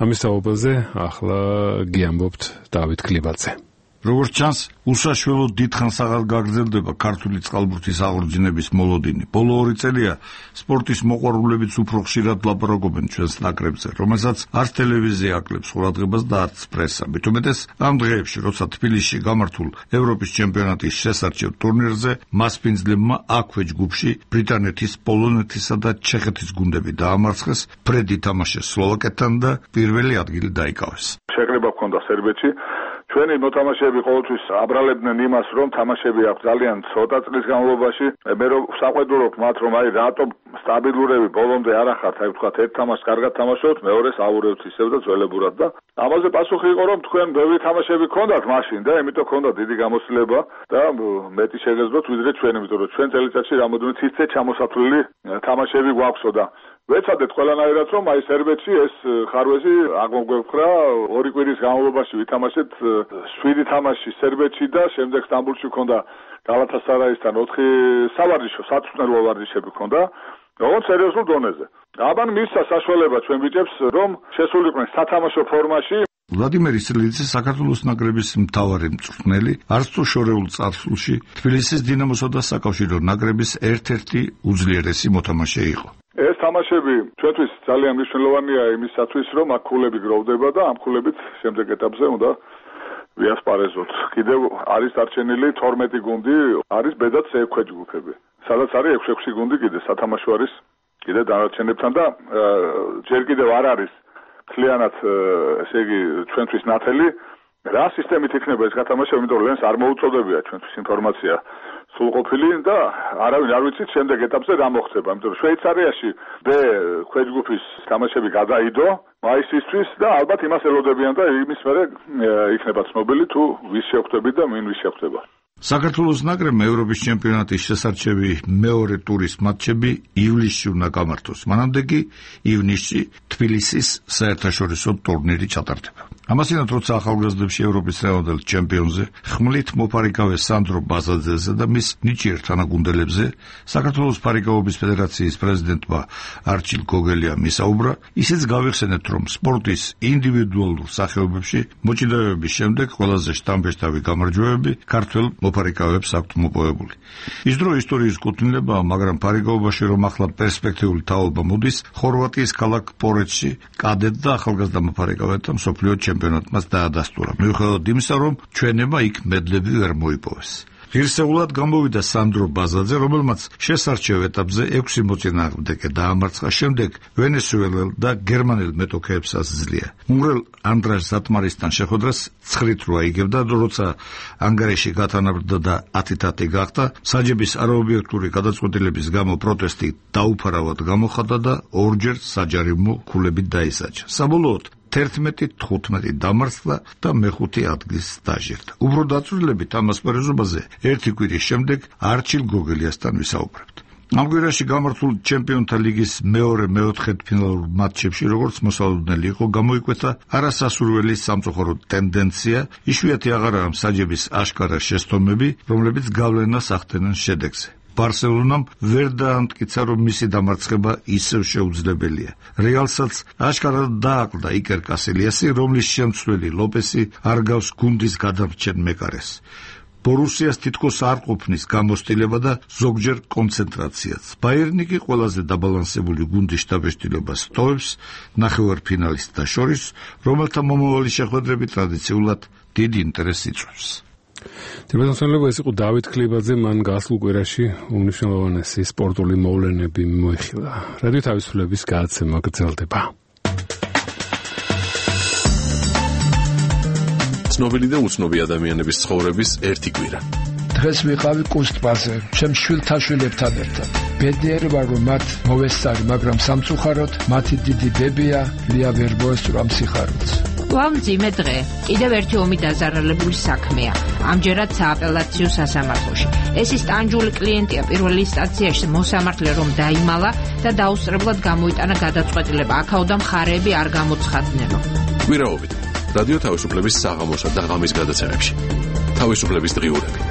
ამის თაობაზე ახლა გიამბობთ დავით კლებაძე. როგორც ჩანს, უსაშველოდ დიდხანს აღარ გაგრძელდება ქართული წყალბურთის აღორძინების მოლოდინი. ბოლო ორი წელია სპორტის მოყვარულებიც უფრო ხშირად ლაპარაკობენ ჩვენს ნაკრებზე, რომელსაც არც ტელევიზია აკლებს ყურადღებას და არც პრესა. მით უმეტეს ამ დღეებში, როცა თბილისში გამართულ ევროპის ჩემპიონატის შესარჩევ ტურნირზე მასპინძლებმა აქვე ჯგუფში ბრიტანეთის, პოლონეთისა და ჩეხეთის გუნდები დაამარცხეს, ფრედი თამაშეს სლოვაკეთთან და პირველი ადგილი დაიკავეს. შეკრება ჰქონდა სერბეთში. ჩვენი მოთამაშეები ყოველთვის აბრალებდნენ იმას, რომ თამაშები აქვს ძალიან ცოტა წლის განმავლობაში. მე რომ საყვედურობ მათ, რომ აი რატომ სტაბილურები ბოლომდე არ ახართ, აი ვთქვათ, ერთ თამაშს კარგად თამაშობთ, მეორეს აურევთ ისევ და ძველებურად და ამაზე პასუხი იყო, რომ თქვენ ბევრი თამაშები გქონდათ მაშინ და იმიტომ ჰქონდა დიდი გამოცდილება და მეტი შეგეძლოთ ვიდრე ჩვენ, იმიტომ რომ ჩვენ წელიწადში რამოდენიმე ციცე ჩამოსათვლილი თამაშები გვაქვსო და ვეცადეთ ყველანაირად, რომ აი სერბეთში ეს ხარვეზი აღმოგვეფხრა. ორი კვირის განმავლობაში ვითამაშეთ შვიდი თამაში სერბეთში და შემდეგ სტამბოლში ჰქონდა გალათასარაისთან ოთხი სავარჯიშო, სათწმენლო ვარჯიშები ჰქონდა, როგორც სერიოზულ დონეზე. აბან მისცა საშუალება ჩვენ ბიჭებს, რომ შესულიყვნენ სათამაშო ფორმაში. ვლადიმერ ისრელიძე საქართველოს ნაკრების მთავარი მწვრთნელი, არც თუ შორეულ წარსულში თბილისის დინამოსა და საკავშირო ნაკრების ერთ-ერთი უძლიერესი მოთამაშე იყო. ეს თამაშები ჩვენთვის ძალიან მნიშვნელოვანია იმისათვის, რომ აქ ქულები გროვდება და ამ ქულებით შემდეგ ეტაპზე უნდა ვიასპარეზოთ. კიდევ არის დარჩენილი თორმეტი გუნდი, არის ბედად ექვსი ჯგუფები. სადაც არის ექვსი ექვსი გუნდი კიდე სათამაშო არის კიდე დანარჩენებთან და ჯერ კიდევ არ არის მთლიანად ესე იგი ჩვენთვის ნათელი რა სისტემით იქნება ეს გათამაშება, იმიტომ რომ ლენს არ მოუწოდებია ჩვენთვის ინფორმაცია სრულყოფილი და არავინ არ ვიცით შემდეგ ეტაპზე რა მოხდება, იმიტომ რომ შვეიცარიაში ბ ქვეჯგუფის თამაშები გადაიდო მაისისთვის და ალბათ იმას ელოდებიან და იმის მერე იქნება ცნობილი თუ ვის შეხვდებით და ვინ ვის შეხვდება. საქართველოს ნაკრებმა ევროპის ჩემპიონატის შესარჩევი მეორე ტურის მატჩები ივლისში უნდა გამართოს. მანამდე კი ივნისში თბილისის საერთაშორისო ტურნირი ჩატარდება. ამასინათ, როცა ახალგაზრდებში ევროპის რაოდენობით ჩემპიონზე ხმლით მოფარიკავე სანდრო ბაზაძეზე და მის ნიჭიერ თანაგუნდელებზე საქართველოს ფარიკაობის ფედერაციის პრეზიდენტმა არჩილ გოგელიამ ისაუბრა, ისიც გავიხსენეთ, რომ სპორტის ინდივიდუალურ სახეობებში მოჭიდავეების შემდეგ ყველაზე შთამბეჭდავი გამარჯვებები ქართველ მოფარიკავებს აქვთ მოპოვებული. ის დრო ისტორიის კუთვნილებაა, მაგრამ ფარიკაობაში რომ ახლა პერსპექტიული თაობა მოდის, ხორვატიის ქალაქ პორეჩში კადეტ და ახალგაზრდა მოფარიკავეთა მსოფლიო ჩემპიონატმაც დაადასტურა. მიუხედავად იმისა, რომ ჩვენება იქ მედლები ვერ მოიპოვეს. ღირსეულად გამოვიდა სანდრო ბაზაძე, რომელმაც შესარჩევ ეტაპზე ექვსი მოწინააღმდეგე დაამარცხა, შემდეგ ვენესუელელ და გერმანელ მეტოქეებს ასძლია. უნგრელ ანდრას ზატმარისთან შეხვედრას ცხრით რო აიგებდა, როცა ანგარიში გათანაბრდა და ათი-ათი გახდა, საჯების არაობიექტური გადაწყვეტილების გამო პროტესტი დაუფარავად გამოხატა და ორჯერ საჯარიმო ქულებით დაისაჯა. საბოლოოდ თერთმეტი თხუთმეტი დამარცხდა და მეხუთე ადგილს დაჟერდა. უფრო დაწვრილებით ამ ასპარეზობაზე ერთი კვირის შემდეგ არჩილ გოგელიასთან ვისაუბრებთ. ამ კვირაში გამართულ ჩემპიონთა ლიგის მეორე მეოთხედფინალურ მატჩებში, როგორც მოსალოდნელი იყო, გამოიკვეთა არასასურველი სამწუხარო ტენდენცია, იშვიათი აღარაა მსაჯების აშკარა შესწომები, რომლებიც გავლენას ახდენენ შედეგზე. ბარსელონამ ვერ დაამტკიცა, რომ მისი დამარცხება ისევ შეუძლებელია. რეალსაც აშკარად დააკლდა იკერ კასილიასი, რომლის შემცვლელი ლოპესი არ გავს გუნდის გადამრჩენ მეკარეს. ბორუსიას თითქოს არ ყოფნის გამოსტილება და ზოგჯერ კონცენტრაციაც. ბაიერნი კი ყველაზე დაბალანსებული გუნდის შტაბ-ეშტილობას ტოვებს ნახევარფინალისტთა შორის, რომელთა მომავალი შეხვედრები ტრადიციულად დიდ ინტერესს იწვევს. თებერვალსანლება ეს იყო დავით ქლებაძე, მან გასულ კვირაში უმნიშვნელოვანესი სპორტული მოვლენები მოიხილა. რადიო თავისუფლების გადაცემა გრძელდება. ცნობილი და უცნობი ადამიანების ცხოვრების ერთი კვირა. დღეს ვიყავი კუსტპაზე, ჩემ შვილთაშვილებთან ერთად. ბედნიერი ვარ, რომ მათ მოვესწარი, მაგრამ სამწუხაროდ მათი დიდი ბებია ლია ვერ მოესწრო ამ სიხარულს. ვამძიმე დღე. კიდევ ერთი ომი დაზარალებული საქმეა. ამჯერად სააპელაციო სასამართლოში. ეს ის ტანჯული კლიენტია პირველ ინსტანციაში მოსამართლე რომ დაიმალა და დაუსწრებლად გამოიტანა გადაწყვეტილება. აქაოდა მხარეები არ გამოცხადნენო. კვირაობით რადიო თავისუფლების საღამოსა და ღამის გადაცემებში. თავისუფლების დღიურები.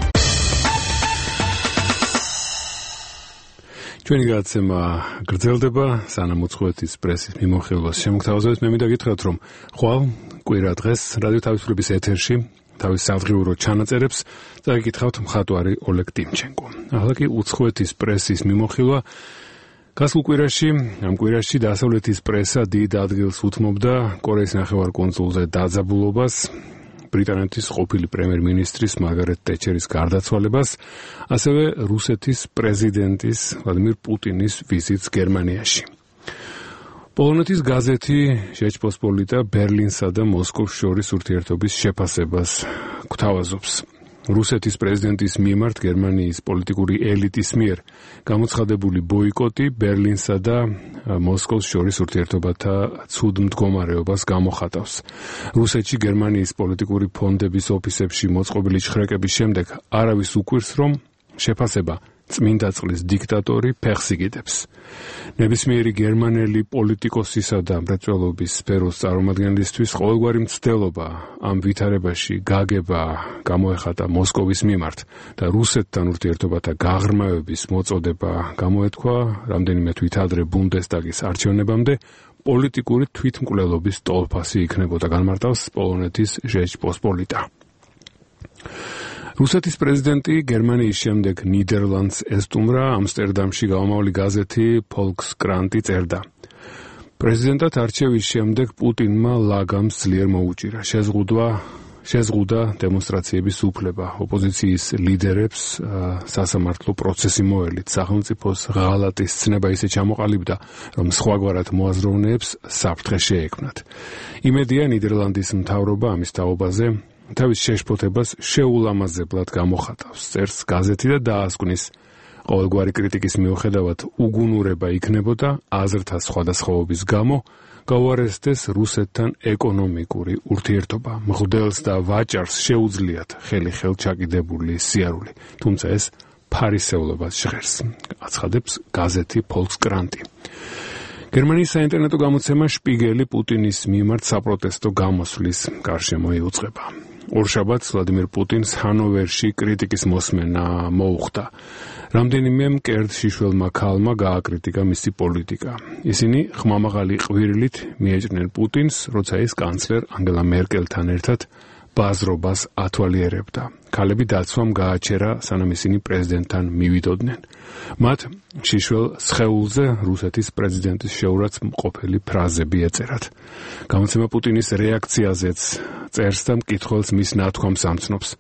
ჩვენი გადაცემა გრძელდება, სანამ უცხოეთის პრესის მიმოხილვას შემოგთავაზებთ. მე მინდა გითხრათ, რომ ხვალ კვირა დღეს რადიო თავისუფლების ეთერში თავის სადღიურო ჩანაწერებს წაიკითხავთ მხატვარი ოლეგ ტიმჩენკო. ახლა კი უცხოეთის პრესის მიმოხილვა. გასულ კვირაში, ამ კვირაში დასავლეთის პრესა დიდ ადგილს უთმობდა კორეის ნახევარკუნძულზე დაძაბულობას, ბრიტანეთის ყოფილი პრემიერ-მინისტრის მარგარეტ ტეჩერის გარდაცვალებას, ასევე რუსეთის პრეზიდენტის ვლადიმირ პუტინის ვიზიტს გერმანიაში. პოლონეთის გაზეთი ჟეჩპოსპოლიტა ბერლინსა და მოსკოვს შორის ურთიერთობის შეფასებას გვთავაზობს. რუსეთის პრეზიდენტის მიმართ გერმანიის პოლიტიკური ელიტის მიერ გამოცხადებული ბოიკოტი ბერლინსა და მოსკოვს შორის ურთიერთობათა ცუდ მდგომარეობას გამოხატავს. რუსეთში გერმანიის პოლიტიკური ფონდების ოფისებში მოწყობილი ჭხრაკების შემდეგ არავის უკვირს, რომ შეფასება წმინდა წყლის დიქტატორი ფეხს იგიდებს. ნებისმიერი გერმანელი პოლიტიკოსისა და მრეწველობის სფეროს წარმომადგენლისთვის ყოველგვარი მცდელობა ამ ვითარებაში გაგება გამოეხატა მოსკოვის მიმართ და რუსეთთან ურთიერთობათა გაღრმავების მოწოდება გამოეთქვა რამდენიმე თვით ადრე ბუნდესტაგის არჩევნებამდე პოლიტიკური თვითმკვლელობის ტოლფასი იქნებოდა, განმარტავს პოლონეთის ჟეჩპოსპოლიტა. რუსეთის პრეზიდენტი გერმანიის შემდეგ ნიდერლანდს ესტუმრა. ამსტერდამში გამომავალი გაზეთი ფოლკსკრანტი წერდა. პრეზიდენტად არჩევის შემდეგ პუტინმა ლაგამს ძლიერ მოუჭირა. შეზღუდვა შეზღუდა დემონსტრაციების უფლება. ოპოზიციის ლიდერებს სასამართლო პროცესი მოელით. სახელმწიფოს ღალატის ცნება ისე ჩამოყალიბდა, რომ სხვაგვარად მოაზროვნეებს საფრთხე შეექმნათ. იმედია ნიდერლანდის მთავრობა ამის თაობაზე თავის შეშფოთებას შეულამაზებლად გამოხატავს, წერს გაზეთი და დაასკვნის ყოველგვარი კრიტიკის მიუხედავად უგუნურება იქნებოდა აზრთა სხვადასხვაობის გამო გაუარესდეს რუსეთთან ეკონომიკური ურთიერთობა. მღვდელს და ვაჭარს შეუძლიათ ხელი ხელ ჩაკიდებული სიარული, თუმცა ეს ფარისევლობას ჟღერს, აცხადებს გაზეთი Volkskrant. გერმანიის საინტერნეტო გამოცემა შპიგელი პუტინის მიმართ საპროტესტო გამოსვლის გარშემო იუწყება. ორშაბათს ვლადიმერ პუტინს ჰანოვერში კრიტიკის მოსმენა მოუხდა. რამდენიმე მკერდ შიშველმა ქალმა გააკრიტიკა მისი პოლიტიკა. ისინი ხმამაღალი ყვირილით მიეჭნენ პუტინს, როცა ის კანცლერ ანგელა მერკელთან ერთად ბაზრობას ათვალიერებდა. ქალები დაცვამ გააჩერა, სანამ ისინი პრეზიდენტთან მივიდოდნენ. მათ შიშველ სხეულზე რუსეთის პრეზიდენტის შეურაც მყოფელი ფრაზები ეწერათ. გამოცემა პუტინის რეაქციაზეც წერს და მკითხველს მის ნათქვამს ამცნობს.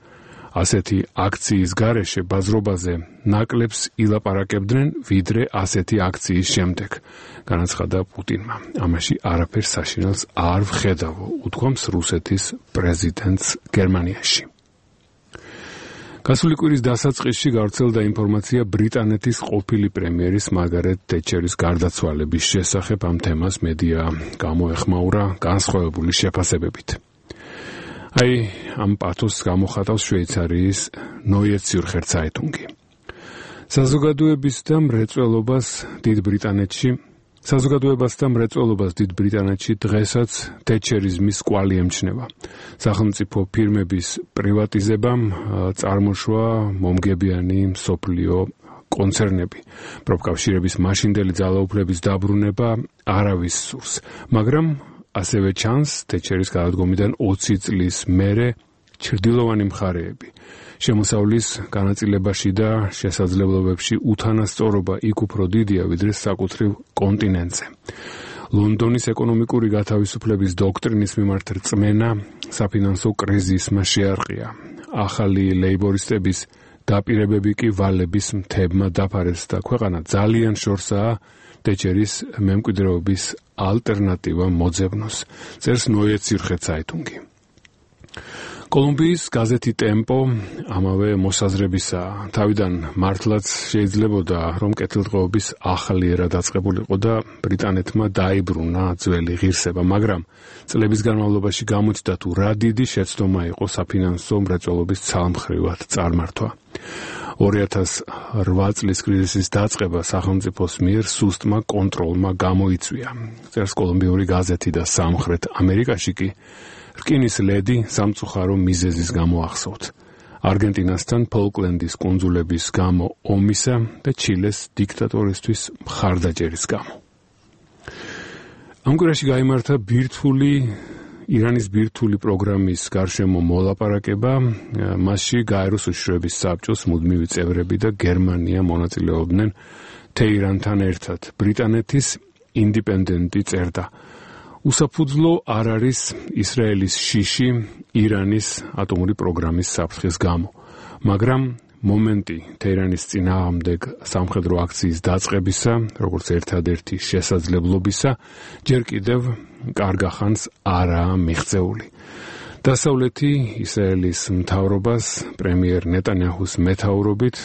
ასეთი აქციის გარეშე ბაზრობაზე ნაკლებს ილაპარაკებდნენ, ვიდრე ასეთი აქციის შემდეგ, განაცხადა პუტინმა. ამაში არაფერს საშინელს არ ვხედავ, უთქვამს რუსეთის პრეზიდენტს გერმანიაში. გასული კვირის დასაწყისში გავრცელდა ინფორმაცია ბრიტანეთის ყოფილი პრემიერის მარგარეტ თეტჩერის გარდაცვალების შესახებ. ამ თემას მედია გამოეხმაურა განსხვავებული შეფასებებით. აი, ამ პათოსს გამოხატავს შვეიცარიის Neue Zürcher Zeitung. საზოგადოების და მრეწველობას დიდ ბრიტანეთში საზოგადოებას და მრეწველობას დიდ ბრიტანეთში დღესაც თეტჩერიზმის კვალი ემჩნევა. სახელმწიფო ფირმების პრივატიზებამ წარმოშვა მომგებიანი მსოფლიო კონცერნები. პროფკავშირების მაშინდელი ძალაუფლების დაბრუნება არავის სურს, მაგრამ ასევე ჩანს თეტჩერის გადადგომიდან ოცი წლის მერე ჩრდილოვანი მხარეები. შემოსავლის განაწილებაში და შესაძლებლობებში უთანასწორობა იქ უფრო დიდია, ვიდრე საკუთრივ კონტინენტზე. ლონდონის ეკონომიკური გათავისუფლების დოქტრინის მიმართ რწმენა საფინანსო კრიზისმა შეარყია. ახალი ლეიბორისტების დაპირებები კი ვალების მთებმა დაფარეს და ქვეყანა ძალიან შორსაა თეტჩერის მემკვიდრეობის ალტერნატივა მოძებნოს, წერს Neue Zürcher Zeitung. კოლუმბიის გაზეთი ტემპო ამავე მოსაზრებისაა. თავიდან მართლაც შეიძლებოდა, რომ კეთილდღეობის ახალი ერა დაწყებულიყო და ბრიტანეთმა დაიბრუნა ძველი ღირსება, მაგრამ წლების განმავლობაში გამოჩნდა თუ რა დიდი შეცდომა იყო საფინანსო მრეწველობის ცალმხრივად წარმართვა. ორი ათას რვა წლის კრიზისის დაწყება სახელმწიფოს მიერ სუსტმა კონტროლმა გამოიწვია, წერს კოლუმბიური გაზეთი და სამხრეთ ამერიკაში კი რკინის ლედი სამწუხარო მიზეზის გამო ახსოვთ. არგენტინასთან ფოლკლენდის კუნძულების გამო ომისა და ჩილეს დიქტატორისთვის მხარდაჭერის გამო. ამ კვირაში გაიმართა ბირთვული ირანის ბირთვული პროგრამის გარშემო მოლაპარაკება, მასში გაეროს უშიშროების საბჭოს მუდმივი წევრები და გერმანია მონაწილეობდნენ თეირანთან ერთად. ბრიტანეთის ინდიპენდენტი წერდა: უსაფუძვლო არ არის ისრაელის შიში ირანის ატომური პროგრამის საფრთხის გამო, მაგრამ მომენტი თეირანის წინააღმდეგ სამხედრო აქციის დაწყებისა, როგორც ერთადერთი შესაძლებლობისა, ჯერ კიდევ კარგახანს არაა მიღწეული. დასავლეთი ისრაელის მთავრობას პრემიერ ნეტანიაჰუს მეთაურობით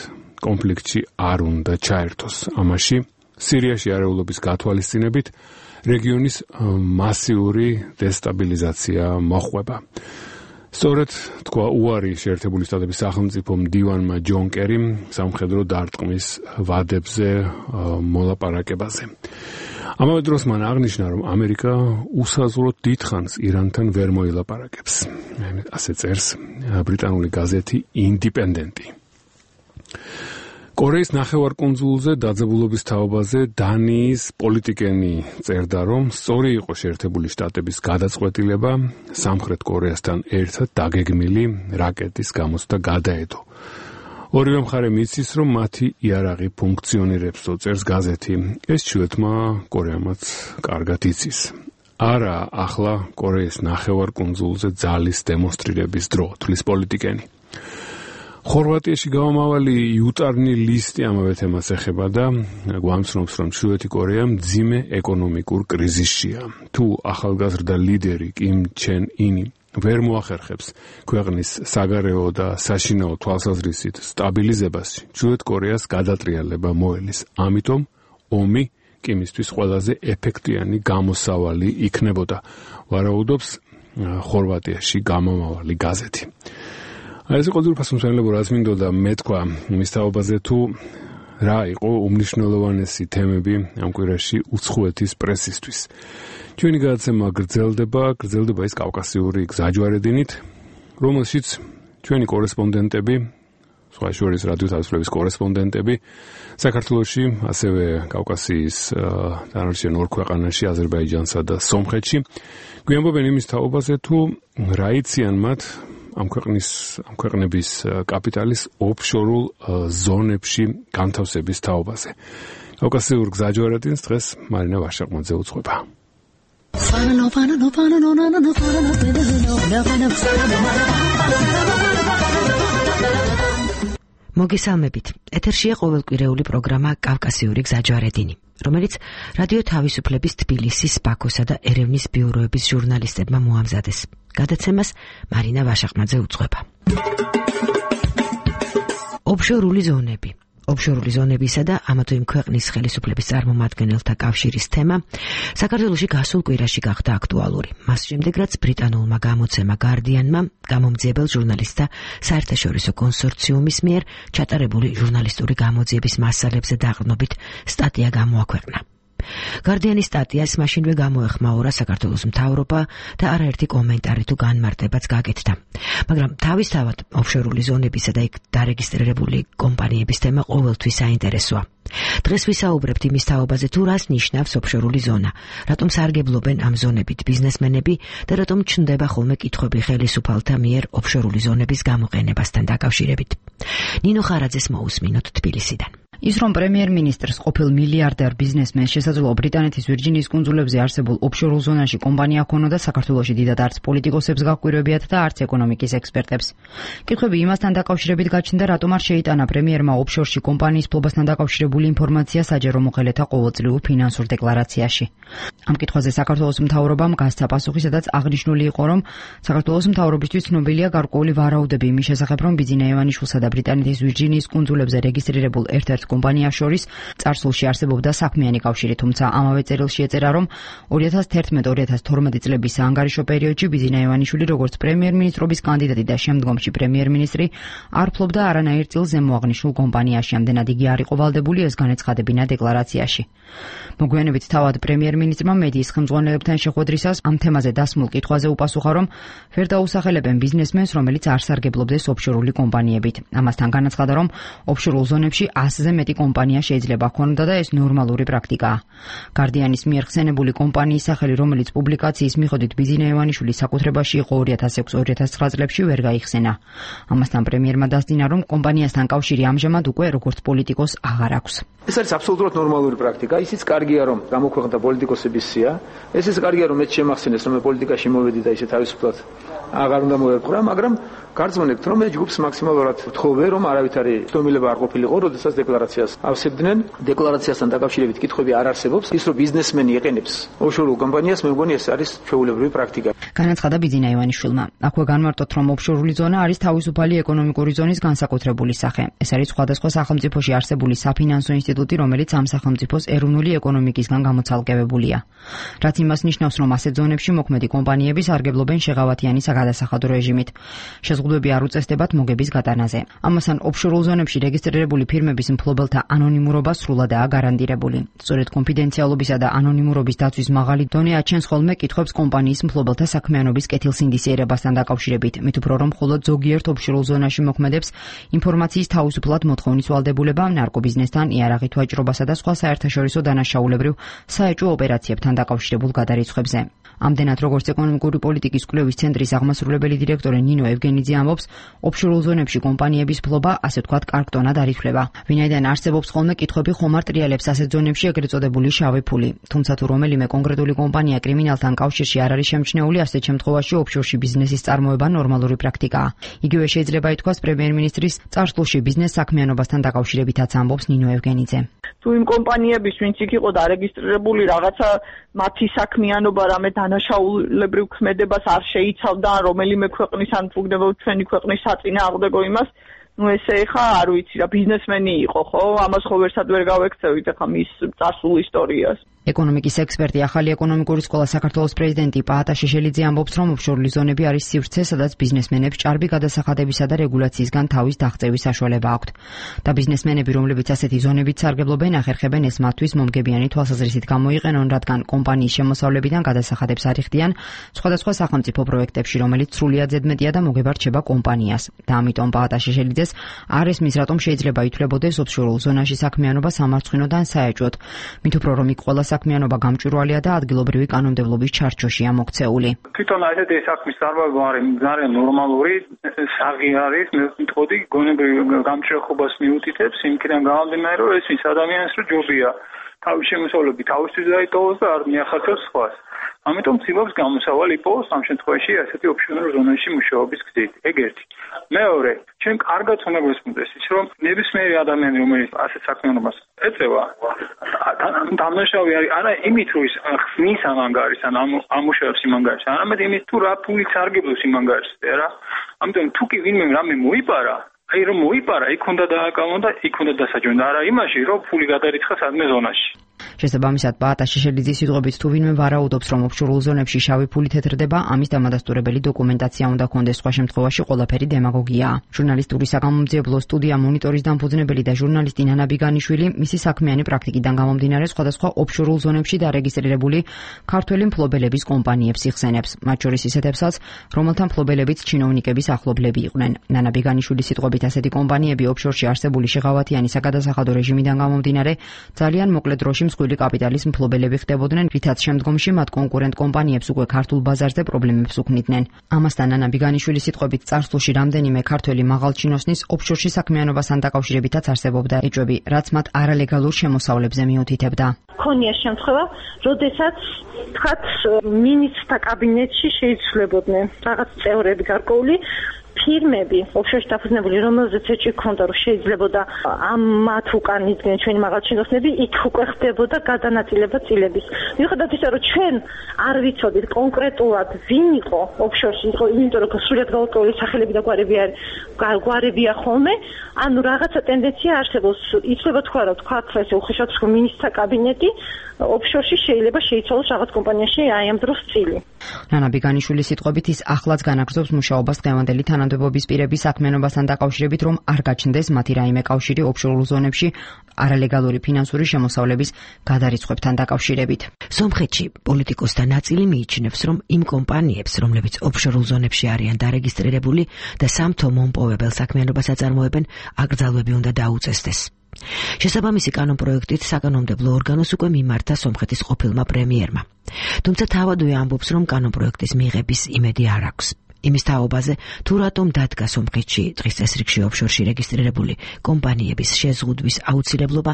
კონფლიქტში არ უნდა ჩაერთოს. ამაში სირიაში არეულობის გათვალისწინებით რეგიონის მასიური დესტაბილიზაცია მოხვება. სწორედ თქვა უარი შეერთებული შტატების სახელმწიფო მდივანმა ჯონ კერიმ სამხედრო დარტყმის ვადებზე მოლაპარაკებაზე. ამავე დროს მან აღნიშნა, რომ ამერიკა უსაზღვროდ დიდხანს ირანთან ვერ მოილაპარაკებს. ასე წერს ბრიტანული გაზეთი ინდიპენდენტი. კორეის ნახევარკუნძულზე დაძაბულობის თაობაზე დანიის პოლიტიკენი წერდა, რომ სწორი იყო შეერთებული შტატების გადაწყვეტილება სამხრეთ კორეასთან ერთად დაგეგმილი რაკეტის გამოცდა გადაედო. ორივე მხარე მიცის, რომ მათი იარაღი ფუნქციონირებს, წერს გაზეთი. ეს ჩრდილოეთმა კორეამაც კარგად იცის. არა ახლა კორეის ნახევარკუნძულზე ძალის დემონსტრირების დრო, თვლის პოლიტიკენი. ხორვატიაში გამომავალი იუტარნი ლისტი ამავე თემას ეხება და გვამცნობს, რომ ჩრდილოეთი კორეა მძიმე ეკონომიკურ კრიზისშია. თუ ახალგაზრდა ლიდერი კიმ ჩენ ინი ვერ მოახერხებს ქვეყნის საგარეო და საშინაო თვალსაზრისით სტაბილიზებას, ჩრდილოეთ კორეას გადატრიალება მოელის. ამიტომ ომი კი მისთვის ყველაზე ეფექტიანი გამოსავალი იქნებოდა, ვარაუდობს ხორვატიაში გამომავალი გაზეთი. ეს იყო ძვირფას მსმენელებო, რაც მინდოდა მეთქვა მის თაობაზე, თუ რა იყო უმნიშვნელოვანესი თემები ამ კვირაში უცხოეთის პრესისთვის. ჩვენი გადაცემა გრძელდება, გრძელდება ის კავკასიური გზაჯვარედინით, რომელშიც ჩვენი კორესპონდენტები, სხვა შორის რადიო თავისუფლების კორესპონდენტები საქართველოში, ასევე კავკასიის დანარჩენ ორ ქვეყანაში, აზერბაიჯანსა და სომხეთში, გვიამბობენ იმის თაობაზე, თუ რა იციან მათ ამ ქვეყნის ამ ქვეყნების კაპიტალის ოფშორულ ზონებში განთავსების თაობაზე. კავკასიურ გზაჯვარედინს დღეს მარინა ვაშაყმაძე უძღვება. მოგესალმებით. ეთერშია ყოველკვირეული პროგრამა კავკასიური გზაჯვარედინი, რომელიც რადიო თავისუფლების თბილისის, ბაქოსა და ერევნის ბიუროების ჟურნალისტებმა მოამზადეს. გადაცემას მარინა ვაშაყმაძე უძღვება. ოფშორული ზონები. ოფშორული ზონებისა და ამა თუ იმ ქვეყნის ხელისუფლების წარმომადგენელთა კავშირის თემა საქართველოში გასულ კვირაში გახდა აქტუალური. მას შემდეგ, რაც ბრიტანულმა გამოცემა Guardian-მა გამომძიებელ ჟურნალისტთა საერთაშორისო კონსორციუმის მიერ ჩატარებული ჟურნალისტური გამოძიების მასალებზე დაყრდნობით სტატია გამოაქვეყნა. Guardian-ის სტატიას მაშინვე გამოეხმაურა საქართველოს მთავრობა და არაერთი კომენტარი თუ განმარტებაც გაკეთდა. მაგრამ თავისთავად ოფშორული ზონებისა და იქ დარეგისტრირებული კომპანიების თემა ყოველთვის საინტერესოა. დღეს ვისაუბრებთ იმის თაობაზე, თუ რას ნიშნავს ოფშორული ზონა, რატომ სარგებლობენ ამ ზონებით ბიზნესმენები და რატომ ჩნდება ხოლმე კითხვები ხელისუფალთა მიერ ოფშორული ზონების გამოყენებასთან დაკავშირებით. ნინო ხარაძეს მოусმინოთ თბილისიდან. ის რომ პრემიერ-მინისტრს ყოფილ მილიარდერ ბიზნესმენს შესაძლოა ბრიტანეთის ვირჯინიის კუნძულებზე არსებულ ოფშორულ ზონაში კომპანია ჰქონოდა, საქართველოში დიდად არც პოლიტიკოსებს გაჰკვირვებიათ და არც ეკონომიკის ექსპერტებს. კითხვები იმასთან დაკავშირებით გაჩნდა, რატომ არ შეიტანა პრემიერმა ოფშორში კომპანიის ფლობასთან დაკავშირებული ინფორმაცია საჯარო მოხელეთა ყოველწლიურ ფინანსურ დეკლარაციაში. ამ კითხვაზე საქართველოს მთავრობამ გასცა პასუხი, სადაც აღნიშნული იყო, რომ საქართველოს მთავრობისთვის ცნობილია გარკვეული ვარაუდები იმის შესახებ, რომ ბიძინა ივანიშვილსა და ბრიტანეთის ვირჯინიის კუნძულებზე რეგისტრირებულ ერთ-ერთ კომპანიას შორის წარსულში არსებობდა საქმიანი კავშირი, თუმცა ამავე წერილში ეწერა, რომ ორი ათას თერთმეტ ორი ათას თორმეტი წლების საანგარიშო პერიოდში ბიძინა ივანიშვილი როგორც პრემიერ-მინისტრობის კანდიდატი და შემდგომში პრემიერ-მინისტრი არ ფლობდა არანაირ წილს ზემოაღნიშნულ კომპანიაში, ამდენად იგი არ იყო ვალდებული ეს განეცხადებინა დეკლარაციაში. მოგვიანებით თავად პრემიერ-მინისტრმა მედიის ხელმძღვანელებთან შეხვედრისას ამ თემაზე დასმულ კითხვაზე უპასუხა, რომ ვერ დაუსახელებენ ბიზნესმენს, რომელიც არ სარგებლობდეს ოფშორული კომპანიებით. ამასთან განაცხადა, რომ ოფშორულ ზონებში ასზე მეტი კომპანია შეიძლება ჰქონოდა და ეს ნორმალური პრაქტიკაა. Guardian-ის მიერ ხსენებული კომპანიის სახელი, რომელიც პუბლიკაციის მიხედვით ბიძინა ივანიშვილის საკუთრებაში იყო ორი ათას ექვსი ორი ათას ცხრა წლებში, ვერ გაიხსენა. ამასთან პრემიერმა დასძინა, რომ კომპანიასთან კავშირი ამჟამად უკვე როგორც პოლიტიკოს აღარ აქვს. ეს არის აბსოლუტურად ნორმალური პრაქტიკა. ისიც კარგია, რომ გამოქვეყნდა პოლიტიკოსების სია. ესეც კარგია, რომ მეც შემახსენეს, რომ მე პოლიტიკაში მოვედი და ისე თავისუფლად აღარ უნდა მოვერყვრა, მაგრამ გარწმუნებთ, რომ მე ჯგუფს მაქსიმალურად ვთხოვე, რომ არავითარი ცდომილება არ ყოფილიყო, როდესაც დეკლარაციას ავსებდნენ. დეკლარაციასთან დაკავშირებით კითხვები არ არსებობს. ის რომ ბიზნესმენი ეყენებს ოფშორულ კომპანიას, მე მგონი ეს არის ჩვეულებრივი პრაქტიკა. განაცხადა ბიძინა ივანიშვილმა. აქვე განმარტოთ, რომ ოფშორული ზონა არის თავისუფალი ეკონომიკური ზონის განსაკუთრებული სახე. ეს არის სხვადასხვა სახელმწიფოში არსებული საფინანსო ინსტიტუტი, რომელიც ამ სახელმწიფოს ეროვნული ეკონომიკისგან გამოცალკევებულია. რაც იმას ნიშნავს, რომ ასეთ ზონებში მოქმედი კომპანიები სარგებლობენ შეღავათიანი საგადასახადო რეჟიმით. შეზღუდვები არ უწესდებათ მოგების გატანაზე. ამასთან ოფშორულ ზონებში რეგისტრირებული ფირმების მფლობელთა ანონიმურობა სრულადაა გარანტირებული. სწორედ კონფიდენციალობისა და ანონიმურობის დაცვის მაღალი დონე აჩენს ხოლმე კითხვებს კომპანიის მფლობელთა საქმიანობის კეთილსინდისიერებასთან დაკავშირებით. მით უფრო რომ მხოლოდ ზოგიერთ ოფშორულ ზონაში მოქმედებს ინფორმაციის თავისუფლად მოთხოვნის ვალდებულება, ნარკობიზნესთან, იარაღით ვაჭრობასა და სხვა საერთაშორისო დანაშაულებრივ საეჭვო ოპერაციებთან დაკავშირებულ გადარიცხვებზე. ამდენად როგორც ეკონომიკური პოლიტიკის კვლევის ცენტრის აღმასრულებელი დირექტორი ნინო ევგენიძე ამბობს, ოფშორულ ზონებში კომპანიების ფლობა, ასე ვთქვათ, კარგტონად არ ითვლება. ვინაიდან არსებობს ხოლმე კითხვები ხომ არ ტრიალებს ასეთ ზონებში ეგრეთ წოდებული შავი ფული. თუმცა თუ რომელიმე კონკრეტული კომპანია კრიმინალთან კავშირში არ არის შემჩნეული, ასეთ შემთხვევაში ოფშორში ბიზნესის წარმოება ნორმალური პრაქტიკაა. იგივე შეიძლება ითქვას პრემიერ-მინისტრის წარსულში ბიზნეს საქმიანობასთან დაკავშირებითაც ამბობს ნინო ევგენიძე. თუ იმ კომპანიების, ვინც იქ იყო დარეგისტრირებული, რაღაცა მათი საქმიანობა რამე დანაშაულებრივ ქმედებას არ შეიცავდა, რომელიმე ქვეყნის ან უგდებოდ ჩვენი ქვეყნის საწინააღმდეგო იმას ну ესე ხა არ ვიცი რა ბიზნესმენი იყო ხო ამას ხო ვერსად ვერ გავექცევით ხა მის წარსულ ისტორიას ეკონომიკის ექსპერტი ახალი ეკონომიკური სკოლა საქართველოს პრეზიდენტი პაატა შეშელიძე ამბობს, რომ ოფშორული ზონები არის სივრცე, სადაც ბიზნესმენებს ჭარბი გადასახადებისა და რეგულაციისგან თავის დაღწევის საშუალება აქვთ. და ბიზნესმენები, რომლებიც ასეთი ზონებით სარგებლობენ, ახერხებენ ეს მათთვის მომგებიანი თვალსაზრისით გამოიყენონ, რადგან კომპანიის შემოსავლებიდან გადასახადებს არ იხდიან სხვადასხვა სახელმწიფო პროექტებში, რომელიც სრულიად ზედმეტია და მოგებარჩება კომპანიას. და ამიტომ პაატა შეშელიძეს არ ესმის, რატომ შეიძლება ითვლებოდეს ოფშორულ ზონაში საქმიანობა სამარცხინოდან საეჭვოდ. მით უფრო რომ იქ ყველა საქმიანობა გამჭვირვალეა და ადგილობრივი კანონმდებლობის ჩარჩოშია მოქცეული. თვითონ ასეთი საქმის წარმოება არის ძალიან ნორმალური, საღი არის, მე ვიტყოდი, გონებრივ გამჭრეხობას მიუთითებს, იმქიდან გამომდინარე, რომ ეს ის ადამიანს რო ჯობია თავის შემოსავლები თავისთვის დაიტოვოს და არ მიახერხებს სხვას. ამიტომ ცდილობს გამოსავალი იპოვოს ამ შემთხვევაში ასეთი ოფშორულ ზონაში მუშაობის გზით. ეგ ერთი. მეორე, ჩვენ კარგად უნდა გვესმოდეს ის, რომ ნებისმიერი ადამიანი, რომელიც ასეთ საქმიანობას ეწევა, დამნაშავე არის არა იმით, რომ ის ხსნის ამ ანგარიშს, ან ამუშავებს იმ ანგარიშს, არამედ იმით, თუ რა ფულით სარგებლობს იმ ანგარიშზე, რა. ამიტომ თუ კი ვინმე რამე მოიპარა, აი რომ მოიპარა, იქ უნდა დააკავონ და იქ უნდა დასაჯონ და არა იმაში, რომ ფული გადარიცხა სადმე ზონაში. შესაბამისად, პაატა შეშელიძის სიტყვებით, თუ ვინმე ვარაუდობს, რომ ოფშორულ ზონებში შავი ფული თეთრდება, ამის დამადასტურებელი დოკუმენტაცია უნდა ჰქონდეს, სხვა შემთხვევაში ყველაფერი დემაგოგიაა. ჟურნალისტური საგამომძიებლო სტუდია მონიტორის დამფუძნებელი და ჟურნალისტი ნანა ბიგანიშვილი მისი საქმიანი პრაქტიკიდან გამომდინარე სხვადასხვა ოფშორულ ზონებში დარეგისტრირებული ქართველი მფლობელების კომპანიებს იხსენებს, მათ შორის ისეთებსაც, რომელთა მფლობელებიც ჩინოვნიკების ახლობლები იყვნენ. ნანა ბიგანიშვილის სიტყვებით, ასეთი კომპანიები ოფშორში არსებული შეღავათიანი საგადასახადო რეჟიმიდან გამომდინარე ძალიან მოკლე დროში მსხვილი კაპიტალის მფლობელები ხდებოდნენ, რითაც შემდგომში მათ კონკურენტ კომპანიებს უკვე ქართულ ბაზარზე პრობლემებს უქმნიდნენ. ამასთან ნანა ბიგანიშვილის სიტყვებით, წარსულში რამდენიმე ქართველი მაღალჩინოსნის ოფშორში საქმიანობასთან დაკავშირებითაც არსებობდა ეჭვები, რაც მათ არალეგალურ შემოსავლებზე მიუთითებდა. ქონია შემთხვევა, როდესაც თქვათ მინისტრთა კაბინეტში შეიცვლებოდნენ რაღაც წევრები გარკვეული ფირმები, ოფშორში დაფუძნებული, რომელზეც ეჭვი ჰქონდა, რომ შეიძლებოდა ამ მათ უკან იდგნენ ჩვენი მაღალჩინოსნები, იქ უკვე ხდებოდა გადანაწილება წილების. მიუხედავად ისა, რომ ჩვენ არ ვიცოდით კონკრეტულად ვინ იყო ოფშორში, იმიტომ რომ სრულად გაურკვეველი სახელები და გვარები არის, გვარებია ხოლმე, ანუ რაღაცა ტენდენცია არსებობს. იცლება თქვა, რომ თქვა ესე უხეშად რომ მინისტრთა კაბინეტი ოფშორში შეიძლება შეიცვალოს რაღაც კომპანიაში აი ამ დროს წილი. ნანა ბიგანიშვილის სიტყვებით, ის ახლაც განაგრძობს მუშაობას დღევანდელი თანამდებობის პირების საქმიანობასთან დაკავშირებით, რომ არ გაჩნდეს მათი რაიმე კავშირი ოფშორულ ზონებში არალეგალური ფინანსური შემოსავლების გადარიცხვებთან დაკავშირებით. სომხეთში პოლიტიკოსთა ნაწილი მიიჩნევს, რომ იმ კომპანიებს, რომლებიც ოფშორულ ზონებში არიან დარეგისტრირებული და სამთო მომპოვებელ საქმიანობას აწარმოებენ, აკრძალვები უნდა დაუწესდეს. შესაბამისი კანონპროექტით საკანონმდებლო ორგანოს უკვე მიმართა სომხეთის ყოფილმა პრემიერმა. თუმცა თავადვე ამბობს, რომ კანონპროექტის მიღების იმედი არ აქვს. იმის თაობაზე, თუ რატომ დადგა სომხეთში დღის წესრიგში ოფშორში რეგისტრირებული კომპანიების შეზღუდვის აუცილებლობა,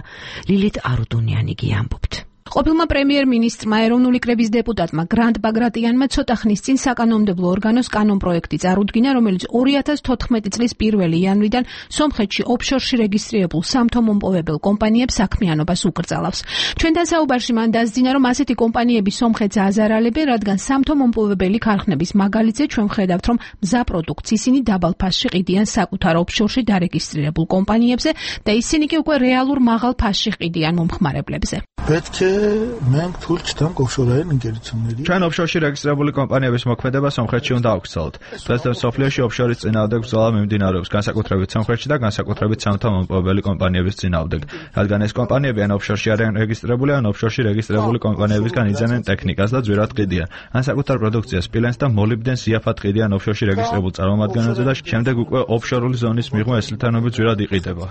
ლილით არუდუნიანი ამბობთ. ყოფილმა პრემიერ-მინისტრმა ეროვნული კრების დეპუტატმა გრანტ ბაგრატიანმა ცოტა ხნის წინ საკანონმდებლო ორგანოს კანონპროექტი წარუდგინა, რომელიც ორი ათას თოთხმეტი წლის პირველი იანვრიდან სომხეთში ოფშორში რეგისტრირებულ სამთო მომპოვებელ კომპანიებს საქმიანობას უკრძალავს. ჩვენთან საუბარში მან დასძინა, რომ ასეთი კომპანიები სომხეთს აზარალებენ, რადგან სამთო მომპოვებელი ქარხნების მაგალითზე ჩვენ ვხედავთ, რომ მზა პროდუქტს ისინი დაბალ ფასში ყიდიან საკუთარ ოფშორში დარეგისტრირებულ კომპანიებზე და ისინი კი უკვე რეალურ მაღალ ფასში ყიდიან მომხმარებლებზე. ჩვენ ოფშორში რეგისტრირებული კომპანიების მოქმედება სომხეთში უნდა აუქცელოთ. დღესდღე მსოფლიოში ოფშორის წინააღმდეგ ბრძოლა მიმდინარეობს, განსაკუთრებით სომხეთში და განსაკუთრებით სამთო მომპოვებელი კომპანიების წინააღმდეგ, რადგან ეს კომპანიები ან ოფშორში არიან რეგისტრირებული, ან ოფშორში რეგისტრირებული კომპანიებისგან იძენენ ტექნიკას და ძვირად ყიდიან. ან საკუთარ პროდუქციას სპილენს და მოლიბდენს იაფად ყიდიან ოფშორში რეგისტრირებულ წარმომადგენელზე და შემდეგ უკვე ოფშორული ზონის მიღმა ეს ლითონები ძვირად იყიდება.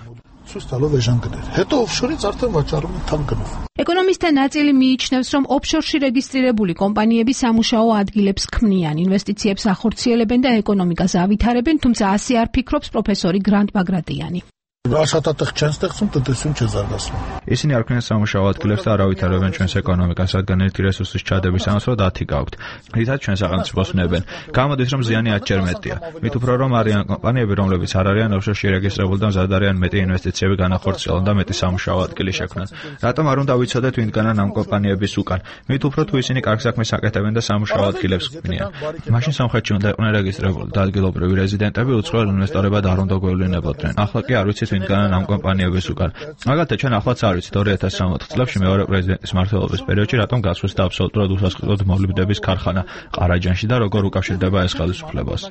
ეკონომისტთა ნაწილი მიიჩნევს, რომ ოფშორში რეგისტრირებული კომპანიები სამუშაო ადგილებს ქმნიან, ინვესტიციებს ახორციელებენ და ეკონომიკას ავითარებენ, თუმცა ასე არ ფიქრობს პროფესორი გრანტ ბაგრატიანი. Աշխատատեղ չեն ստեղծում, տնտեսություն չզարգացնում։ Ისინი არ ქმნიან სამუშაო ადგილებს და არ ავითარებენ ჩვენს ეკონომიკას, რადგან ერთი რესურსის ჩადების ამას დათი გაქვთ. რითაც ჩვენ სახელმწიფოს ვნებენ. გამოდის რომ ზიანი ათჯერ მეტია. მით უფრო რომ არიან კომპანიები, რომლებიც არ არიან ოფშორში რეგისტრირებული და მზად არიან მეტი ინვესტიციები განახორციელონ და მეტი სამუშაო ადგილი შექმნან. რატომ არ უნდა ვიცოდეთ ვინგანან ამ კომპანიების უკან? მით უფრო თუ ისინი კარგ საქმეს აკეთებენ და სამუშაო ადგილებს ქმნიან. მაშინ სამხრეთში უნდა იყვნენ რეგისტრირებული და ადგილობრივი რეზიდენტები უცხოელ ინვესტორებად არ უნდა გვევლინებოდნენ. ახლა კი არ ვიცით ვინგანან ამ კომპანიების უკან. მაგალითად ჩვენ ახლაც არ ვიცით ორი ათას სამოთხ წლებში მეორე პრეზიდენტის მმართველობის პერიოდში რატომ გასვეს და აბსოლუტურად უსასყიდლოდ მოვლიდების ქარხანა ყარაჯანში და როგორ უკავშირდება ეს ხელისუფლებას.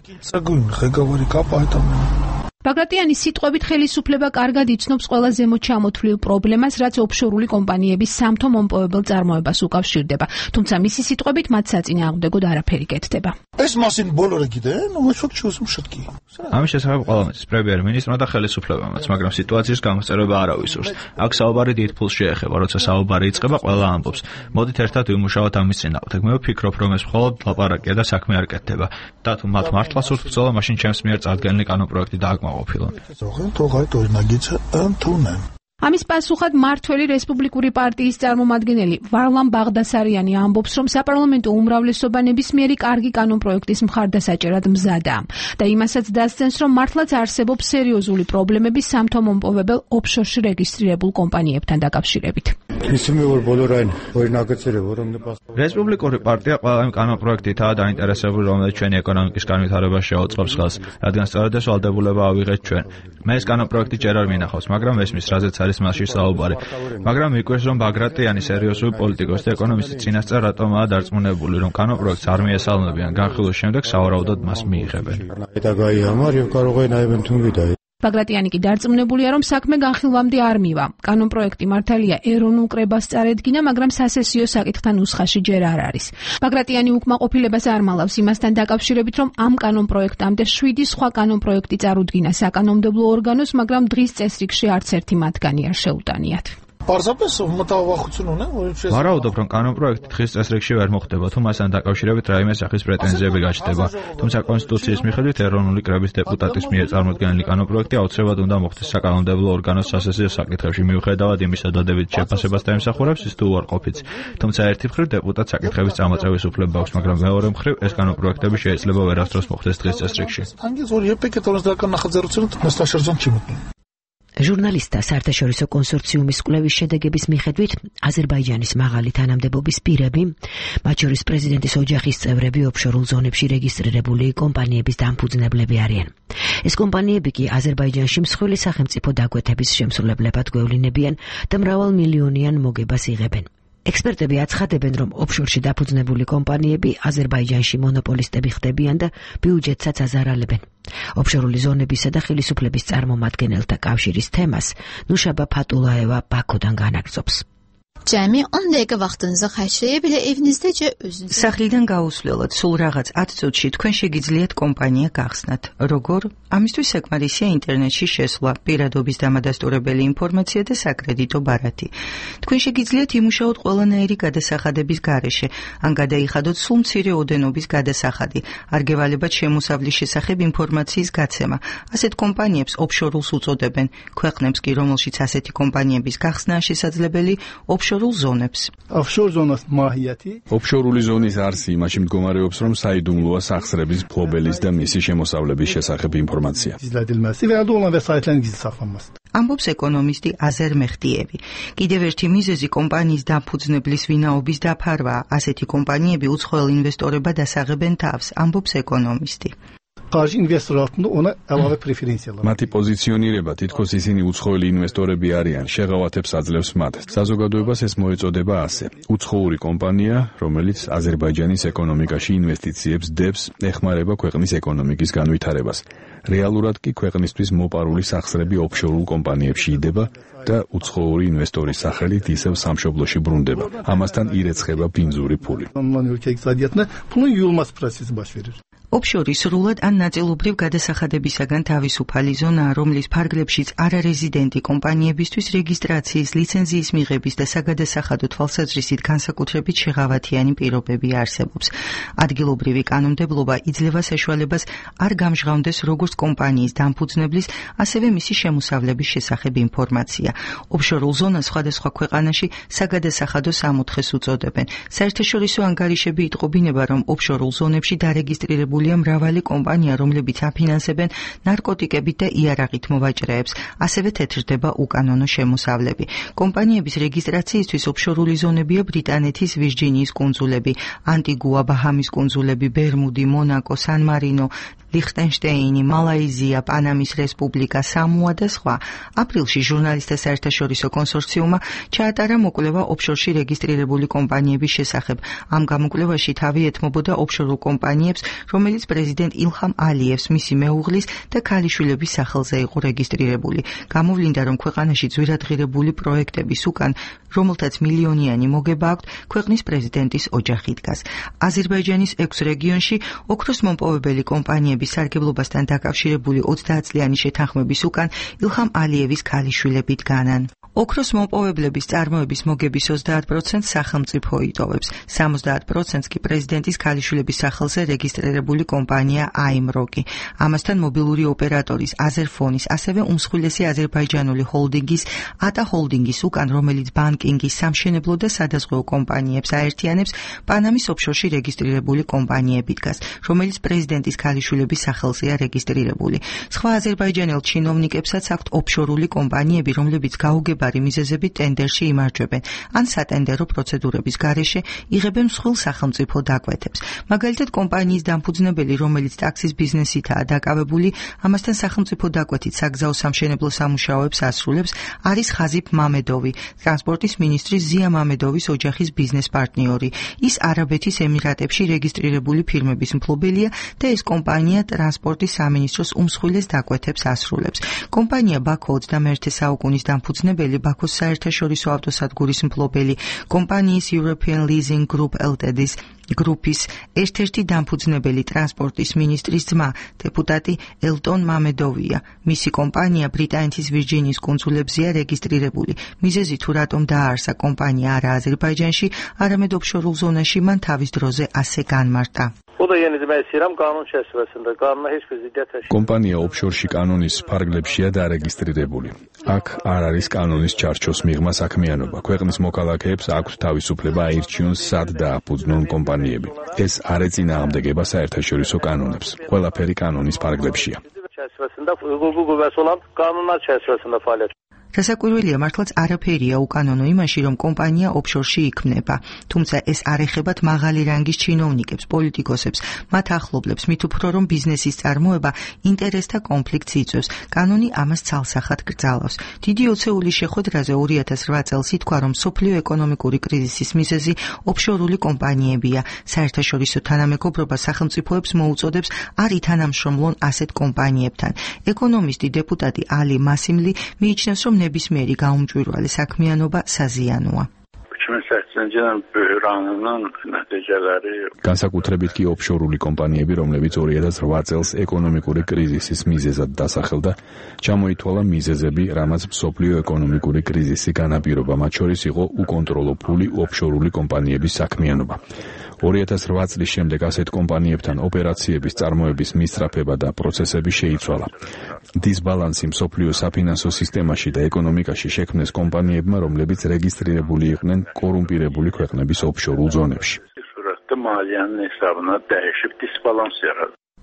ბაგრატიანის სიტყვებით ხელისუფლება კარგად იცნობს ყველა ზემოთ ჩამოთვლილ პრობლემას, რაც ოფშორული კომპანიების სამთო მომპოვებელ წარმოებას უკავშირდება, თუმცა მისი სიტყვებით მათ საწინააღმდეგოდ არაფერი კეთდება. ეს მასინ ბოლორე კიდე, ნუ ვეშოთ ჩუსმ შეტკი. ამის შესახებ ყველამის პრემიერ-მინისტრმა და ხელისუფლებამაც, მაგრამ სიტუაციის გამოსწორება არ ავისურს. აქ საუბარი დიდ ფულს შეეხება, როცა საუბარი იწყება, ყველა ამბობს. მოდით ერთად ვიმუშაოთ ამის წინააღმდეგ. მე ვფიქრობ, რომ ეს მხოლოდ ლაპარაკია და საქმე არ კეთდება. და თუ მათ მართლა სურთ ბრძოლა, მაშინ ჩემს მიერ წარდგენილი კანონპროექტი დააკმაყოფილონ. ამის პასუხად მართველი რესპუბლიკური პარტიის წარმომადგენელი ვარლამ ბაღდასარიანი ამბობს, რომ საპარლამენტო უმრავლესობა ნებისმიერი კარგი კანონპროექტის მხარდასაჭერად მზადაა და იმასაც დასცენს, რომ მართლაც არსებობს სერიოზული პრობლემები სამთო მომპოვებელ ოფშორში რეგისტრირებულ კომპანიებთან დაკავშირებით. რესპუბლიკური პარტია ყველა იმ კანონპროექტითაა დაინტერესებული, რომელიც ჩვენი ეკონომიკის განვითარებას შეუწყობს ხელს, რადგან სწორედ ეს ვალდებულება ავიღეთ ჩვენ. მე ეს კანონპროექტი ჯერ არ მინახავს, მაგრამ ესმის რაზეც არის მასში საუბარი. მაგრამ მიკვირს, რომ ბაგრატიანი სერიოზული პოლიტიკოსი და ეკონომისტი წინასწარ რატომაა დარწმუნებული, რომ კანონპროექტს არ მიესალმებიან, განხილვის შემდეგ სავარაუდოდ მას მიიღებენ. ბაგრატიანი კი დარწმუნებულია, რომ საქმე განხილვამდე არ მივა. კანონპროექტი მართალია ეროვნულ კრებას წარედგინა, მაგრამ სასესიო საკითხთან ნუსხაში ჯერ არ არის. ბაგრატიანი უკმაყოფილებას არ მალავს იმასთან დაკავშირებით, რომ ამ კანონპროექტამდე შვიდი სხვა კანონპროექტი წარუდგინა საკანონმდებლო ორგანოს, მაგრამ დღის წესრიგში არც ერთი მათგანი არ შეუტანიათ. ვარაუდობ, რომ კანონპროექტი დღის წესრიგში ვერ მოხდება, თუ მასთან დაკავშირებით რაიმე სახის პრეტენზიები გაჩნდება. თუმცა კონსტიტუციის მიხედვით ეროვნული კრების დეპუტატის მიერ წარმოდგენილი კანონპროექტი აუცილებლად უნდა მოხდეს საკანონმდებლო ორგანოს სასესიო საკითხებში, მიუხედავად იმისა, დადებით შეფასებას დაემსახურებს ის თუ უარყოფით. თუმცა ერთი მხრივ დეპუტატს საკითხების წამოწევის უფლება აქვს, მაგრამ მეორე მხრივ ეს კანონპროექტები შეიძლება ვერასდროს მოხდეს დღის წესრიგში. ჟურნალისტთა საერთაშორისო კონსორციუმის კვლევის შედეგების მიხედვით, აზერბაიჯანის მაღალი თანამდებობის პირები, მათ შორის პრეზიდენტის ოჯახის წევრები ოფშორულ ზონებში რეგისტრირებული კომპანიების დამფუძნებლები არიან. ეს კომპანიები კი აზერბაიჯანში მსხვილი სახელმწიფო დაკვეთების შემსრულებლებად გვევლინებიან და მრავალმილიონიან მოგებას იღებენ. ექსპერტები აცხადებენ, რომ ოფშორში დაფუძნებული კომპანიები აზერბაიჯანში მონოპოლისტები ხდებიან და ბიუჯეტსაც აზარალებენ. ოფშორული ზონებისა და ხელისუფლების წარმომადგენელთა კავშირის თემას ნუშაბა ფატულაევა ბაქოდან განაგრძობს. Cəmi on dəqiqə vaxtınızı xərcləyə bilə evinizdəcə özünüz. Სახლიდან გაუსვლელად სულ რაღაც ათ წუთში თქვენ შეგიძლიათ კომპანია გახსნათ. როგორ? ამისთვის საკმარისია ინტერნეტში შესვლა, პირადობის დამადასტურებელი ინფორმაცია და საკრედიტო ბარათი. თქვენ შეგიძლიათ იმუშაოთ ყველანაირი გადასახადების გარეშე, ან გადაიხადოთ სულ მცირე ოდენობის გადასახადი, არ გევალებათ შემოსავლის შესახებ ინფორმაციის გაცემა. ასეთ კომპანიებს ოფშორულს უწოდებენ. ქვეყნებს კი, რომელშიც ასეთი კომპანიების გახსნაა შესაძლებელი, ოფშორულ ზონებს. ოფშორული ზონის არსი იმაში მდგომარეობს, რომ საიდუმლოა სახსრების ფლობელის და მისი შემოსავლების შესახებ ინფორმაცია. ამბობს ეკონომისტი აზერ მეხდიევი. კიდევ ერთი მიზეზი კომპანიის დამფუძნებლის ვინაობის დაფარვაა. ასეთი კომპანიები უცხოელ ინვესტორებად ასაღებენ თავს, ამბობს ეკონომისტი. მათი პოზიციონირება, თითქოს ისინი უცხოელი ინვესტორები არიან, შეღავათებს აძლევს მათ. საზოგადოებას ეს მოეწოდება ასე: უცხოური კომპანია, რომელიც აზერბაიჯანის ეკონომიკაში ინვესტიციებს დებს, ეხმარება ქვეყნის ეკონომიკის განვითარებას. რეალურად კი ქვეყნისთვის მოპარული სახსრები ოფშორულ კომპანიებში იდება და უცხოური ინვესტორის სახელით ისევ სამშობლოში ბრუნდება. ამასთან ირეცხება ბინძური ფული. ოფშორი სრულად ან ნაწილობრივ გადასახადებისაგან თავისუფალი ზონაა, რომლის ფარგლებშიც არარეზიდენტი კომპანიებისთვის რეგისტრაციის, ლიცენზიის მიღების და საგადასახადო თვალსაზრისით განსაკუთრებით შეღავათიანი პირობები არსებობს. ადგილობრივი კანონმდებლობა იძლევა საშუალებას არ გამჟღავნდეს როგორც კომპანიის დამფუძნებლის, ასევე მისი შემოსავლების შესახებ ინფორმაცია. ოფშორულ ზონას სხვადასხვა ქვეყანაში საგადასახადო სამოთხეს უწოდებენ. საერთაშორისო ანგარიშები იტყობინება, რომ ოფშორულ ზონებში დარეგისტრირებული მრავალი კომპანია, რომლებიც აფინანსებენ ნარკოტიკებით და იარაღით მოვაჭრეებს, ასევე თეთრდება უკანონო შემოსავლები. კომპანიების რეგისტრაციისთვის ოფშორული ზონებია ბრიტანეთის ვირჯინიის კუნძულები, ანტიგუა, ბაჰამის კუნძულები, ბერმუდი, მონაკო, სან-მარინო, ლიხტენშტეინი, მალაიზია, პანამის რესპუბლიკა, სამოა და სხვა. აპრილში ჟურნალისტთა საერთაშორისო კონსორციუმმა ჩაატარა მოკვლევა ოფშორში რეგისტრირებული კომპანიების შესახებ. ამ გამოკვლევაში თავი ეთმობოდა ოფშორულ კომპანიებს, რომელიც პრეზიდენტ ილჰამ ალიევს, მისი მეუღლის და ქალიშვილების სახელზე იყო რეგისტრირებული. გამოვლინდა, რომ ქვეყანაში ძვირადღირებული პროექტების უკან, რომელთაც მილიონიანი მოგება აქვთ, ქვეყნის პრეზიდენტის ოჯახი დგას. აზერბაიჯანის ექვს რეგიონში ოქროს მომპოვებელი კომპანიები სარგებლობასთან დაკავშირებული ოცდაათწლიანი შეთანხმების უკან ილჰამ ალიევის ქალიშვილები დგანან. ოქროს მომპოვებლების წარმოების მოგების ოცდაათ პროცენტს სახელმწიფო იტოვებს, სამოცდაათ პროცენტს კი პრეზიდენტის ქალიშვილების სახელზე რეგისტრირებული კომპანია აიმროკი. ამასთან მობილური ოპერატორის აზერფონის, ასევე უმსხვილესი აზერბაიჯანული ჰოლდინგის ატა ჰოლდინგის უკან, რომელიც ბანკინგის, სამშენებლო და სადაზღვეო კომპანიებს აერთიანებს, პანამის ოფშორში რეგისტრირებული კომპანიები დგას, რომელიც პრეზიდენტის ქალიშვილების სახელზეა რეგისტრირებული. სხვა აზერბაიჯანელ ჩინოვნიკებსაც აქვთ ოფშორული კომპანიები, რომლებიც გაუგებარი მიზეზებით ტენდერში იმარჯვებენ, ან სატენდერო პროცედურების გარეშე იღებენ მსხვილ სახელმწიფო დაკვეთებს. მაგალითად, კომპანიის დამფუძნებელი, რომელიც ტაქსის ბიზნესითაა დაკავებული, ამასთან სახელმწიფო დაკვეთით საგზაო სამშენებლო სამუშაოებს ასრულებს, არის ხაზიფ მამედოვი, ტრანსპორტის მინისტრის ზია მამედოვის ოჯახის ბიზნეს პარტნიორი. ის არაბეთის ემირატებში რეგისტრირებული ფირმების მფლობელია და ეს კომპანია ტრანსპორტის სამინისტროს უმსხვილეს დაკვეთებს ასრულებს. კომპანია ბაქო ოცდამეერთე საუკუნის დამფუძნებელი, ბაქოს საერთაშორისო ავტოსადგურის მფლობელი, კომპანიის European Leasing Group Ltd-ის გრუპის ერთ-ერთი დამფუძნებელი ტრანსპორტის მინისტრის ძმა, დეპუტატი ელტონ მამედოვია. მისი კომპანია ბრიტანეთის ვირჯინიის კუნძულებზეა რეგისტრირებული. მიზეზი თუ რატომ დააარსა კომპანია არა აზერბაიჯანში, არამედ ოფშორულ ზონაში, მან თავის დროზე ასე განმარტა. კომპანია ოფშორში კანონის ფარგლებშია დარეგისტრირებული. აქ არ არის კანონის ჩარჩოს მიღმა საქმიანობა. ქვეყნის მოქალაქეებს აქვთ თავისუფლება აირჩიონ სად დააფუძნონ კომპანიები. ეს არ ეწინააღმდეგება საერთაშორისო კანონებს. ყველაფერი კანონის ფარგლებშია. დასაკვირველია, მართლაც არაფერია უკანონო იმაში, რომ კომპანია ოფშორში იქმნება, თუმცა ეს არ ეხებათ მაღალი რანგის ჩინოვნიკებს, პოლიტიკოსებს, მათ ახლობლებს, მით უფრო რომ ბიზნესის წარმოება ინტერესთა კონფლიქტს იწვევს. კანონი ამას ცალსახად კრძალავს. დიდი ოცეულის შეხვედრაზე ორი ათას რვა წელს ითქვა, რომ მსოფლიო ეკონომიკური კრიზისის მიზეზი ოფშორული კომპანიებია. საერთაშორისო თანამეგობრობა სახელმწიფოებს მოუწოდებს არ ითანამშრომლონ ასეთ კომპანიებთან. ეკონომისტი დეპუტატი ალი მასიმლი მიიჩნევს, რომ ნებისმიერი გაუმჭვირვალე საქმიანობა საზიანოა. განსაკუთრებით კი ოფშორული კომპანიები, რომლებიც ორი ათას რვა წელს ეკონომიკური კრიზისის მიზეზად დასახელდა, ჩამოითვალა მიზეზები, რამაც მსოფლიო ეკონომიკური კრიზისი განაპირობა, მათ შორის იყო უკონტროლო ფული ოფშორული კომპანიების საქმიანობა. ორი ათას რვა წლის შემდეგ ასეთ კომპანიებთან ოპერაციების წარმოების მისწრაფება და პროცესები შეიცვალა. დისბალანსი მსოფლიო საფინანსო სისტემაში და ეკონომიკაში შექმნეს კომპანიებმა, რომლებიც რეგისტრირებული იყვნენ კორუმპირებული ქვეყნების ოფშორულ ზონებში.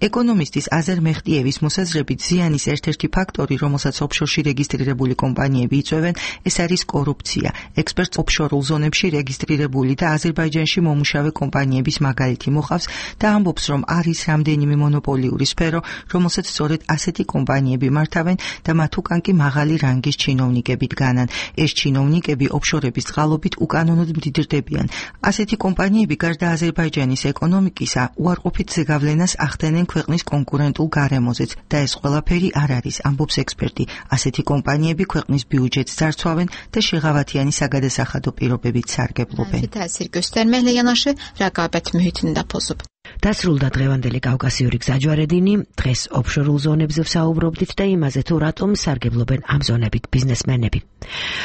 ეკონომისტის აზერ მეხტიევის მოსაზრებით ზიანის ერთ-ერთი ფაქტორი, რომელსაც ოფშორში რეგისტრირებული კომპანიები იწვევენ, ეს არის კორუფცია. ექსპერტს ოფშორულ ზონებში რეგისტრირებული და აზერბაიჯანში მომუშავე კომპანიების მაგალითი მოყავს და ამბობს, რომ არის რამდენიმე მონოპოლიური სფერო, რომელსაც სწორედ ასეთი კომპანიები მართავენ და მათ უკან კი მაღალი რანგის ჩინოვნიკები დგანან. ეს ჩინოვნიკები ოფშორების წყალობით უკანონოდ მდიდრდებიან. ასეთი კომპანიები გარდა აზერბაიჯანის ეკონომიკისა, უარყოფით ზეგავლენას ახდენენ ქვეყნის კონკურენტულ გარემოზეც და ეს ყველაფერი არ არის, ამბობს ექსპერტი. ასეთი კომპანიები ქვეყნის ბიუჯეტს ძარცვავენ და შეღავათიანი საგადასახადო პირობებით სარგებლობენ. تأثیر göstermekle yanaşı rəqabət mühitini də pozub. დასრულდა დღევანდელი კავკასიური გზაჯვარედინი, დღეს ოფშორულ ზონებზე ვსაუბრობდით და იმაზე თუ რატომ სარგებლობენ ამ ზონებით ბიზნესმენები.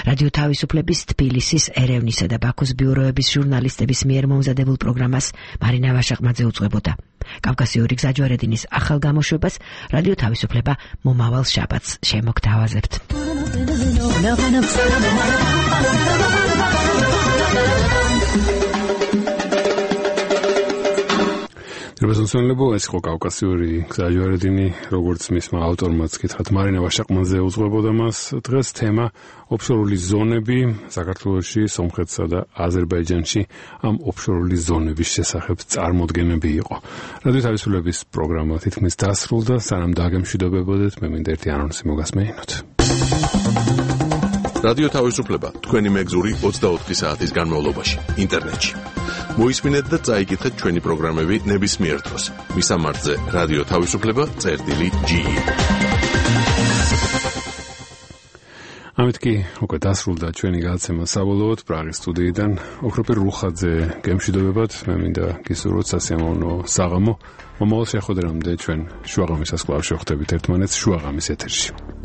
რადიო თავისუფლების თბილისის, ერევნისა და ბაქოს ბიუროების ჟურნალისტების მიერ მომზადებულ პროგრამას მარინა ვაშაყმაძე უძღვებოდა. კავკასიური გზაჯვარედინის ახალ გამოშვებას რადიო თავისუფლება მომავალ შაბათს შემოგთავაზებთ. რებასონსონლებო ეს იყო კავკასიური გზაჯვარედინი, როგორც მისმა ავტორმაც კითხათ მარინა ვაშაყმაძე უძღვებოდა მას. დღეს თემა ოფშორული ზონები საქართველოში, სომხეთსა და აზერბაიჯანში ამ ოფშორული ზონების შესახებ წარმოდგენები იყო. რადიო თავისუფლების პროგრამა თითქმის დასრულდა, სანამ დაგემშვიდობებოდეთ, მე მინდა ერთი ანონსი მოგასმეინოთ. რადიო თავისუფლება თქვენი მეგზური ოცდაოთხი საათის განმავლობაში ინტერნეტში. მოისმინეთ და წაიკითხეთ ჩვენი პროგრამები ნებისმიერ დროს. მისამართზე რადიო თავისუფლება წერტილი ჯი. ამით კი უკვე დასრულდა ჩვენი გადაცემა საბოლოოდ პრაღის სტუდიიდან. ოქროპირ რუხაძე გემშვიდობებათ, მე მინდა გისურვოთ სასიამოვნო საღამო. მომავალ შეხვედრამდე ჩვენ შუაღამისას კვლავ შევხვდებით ერთმანეთს შუაღამის ეთერში.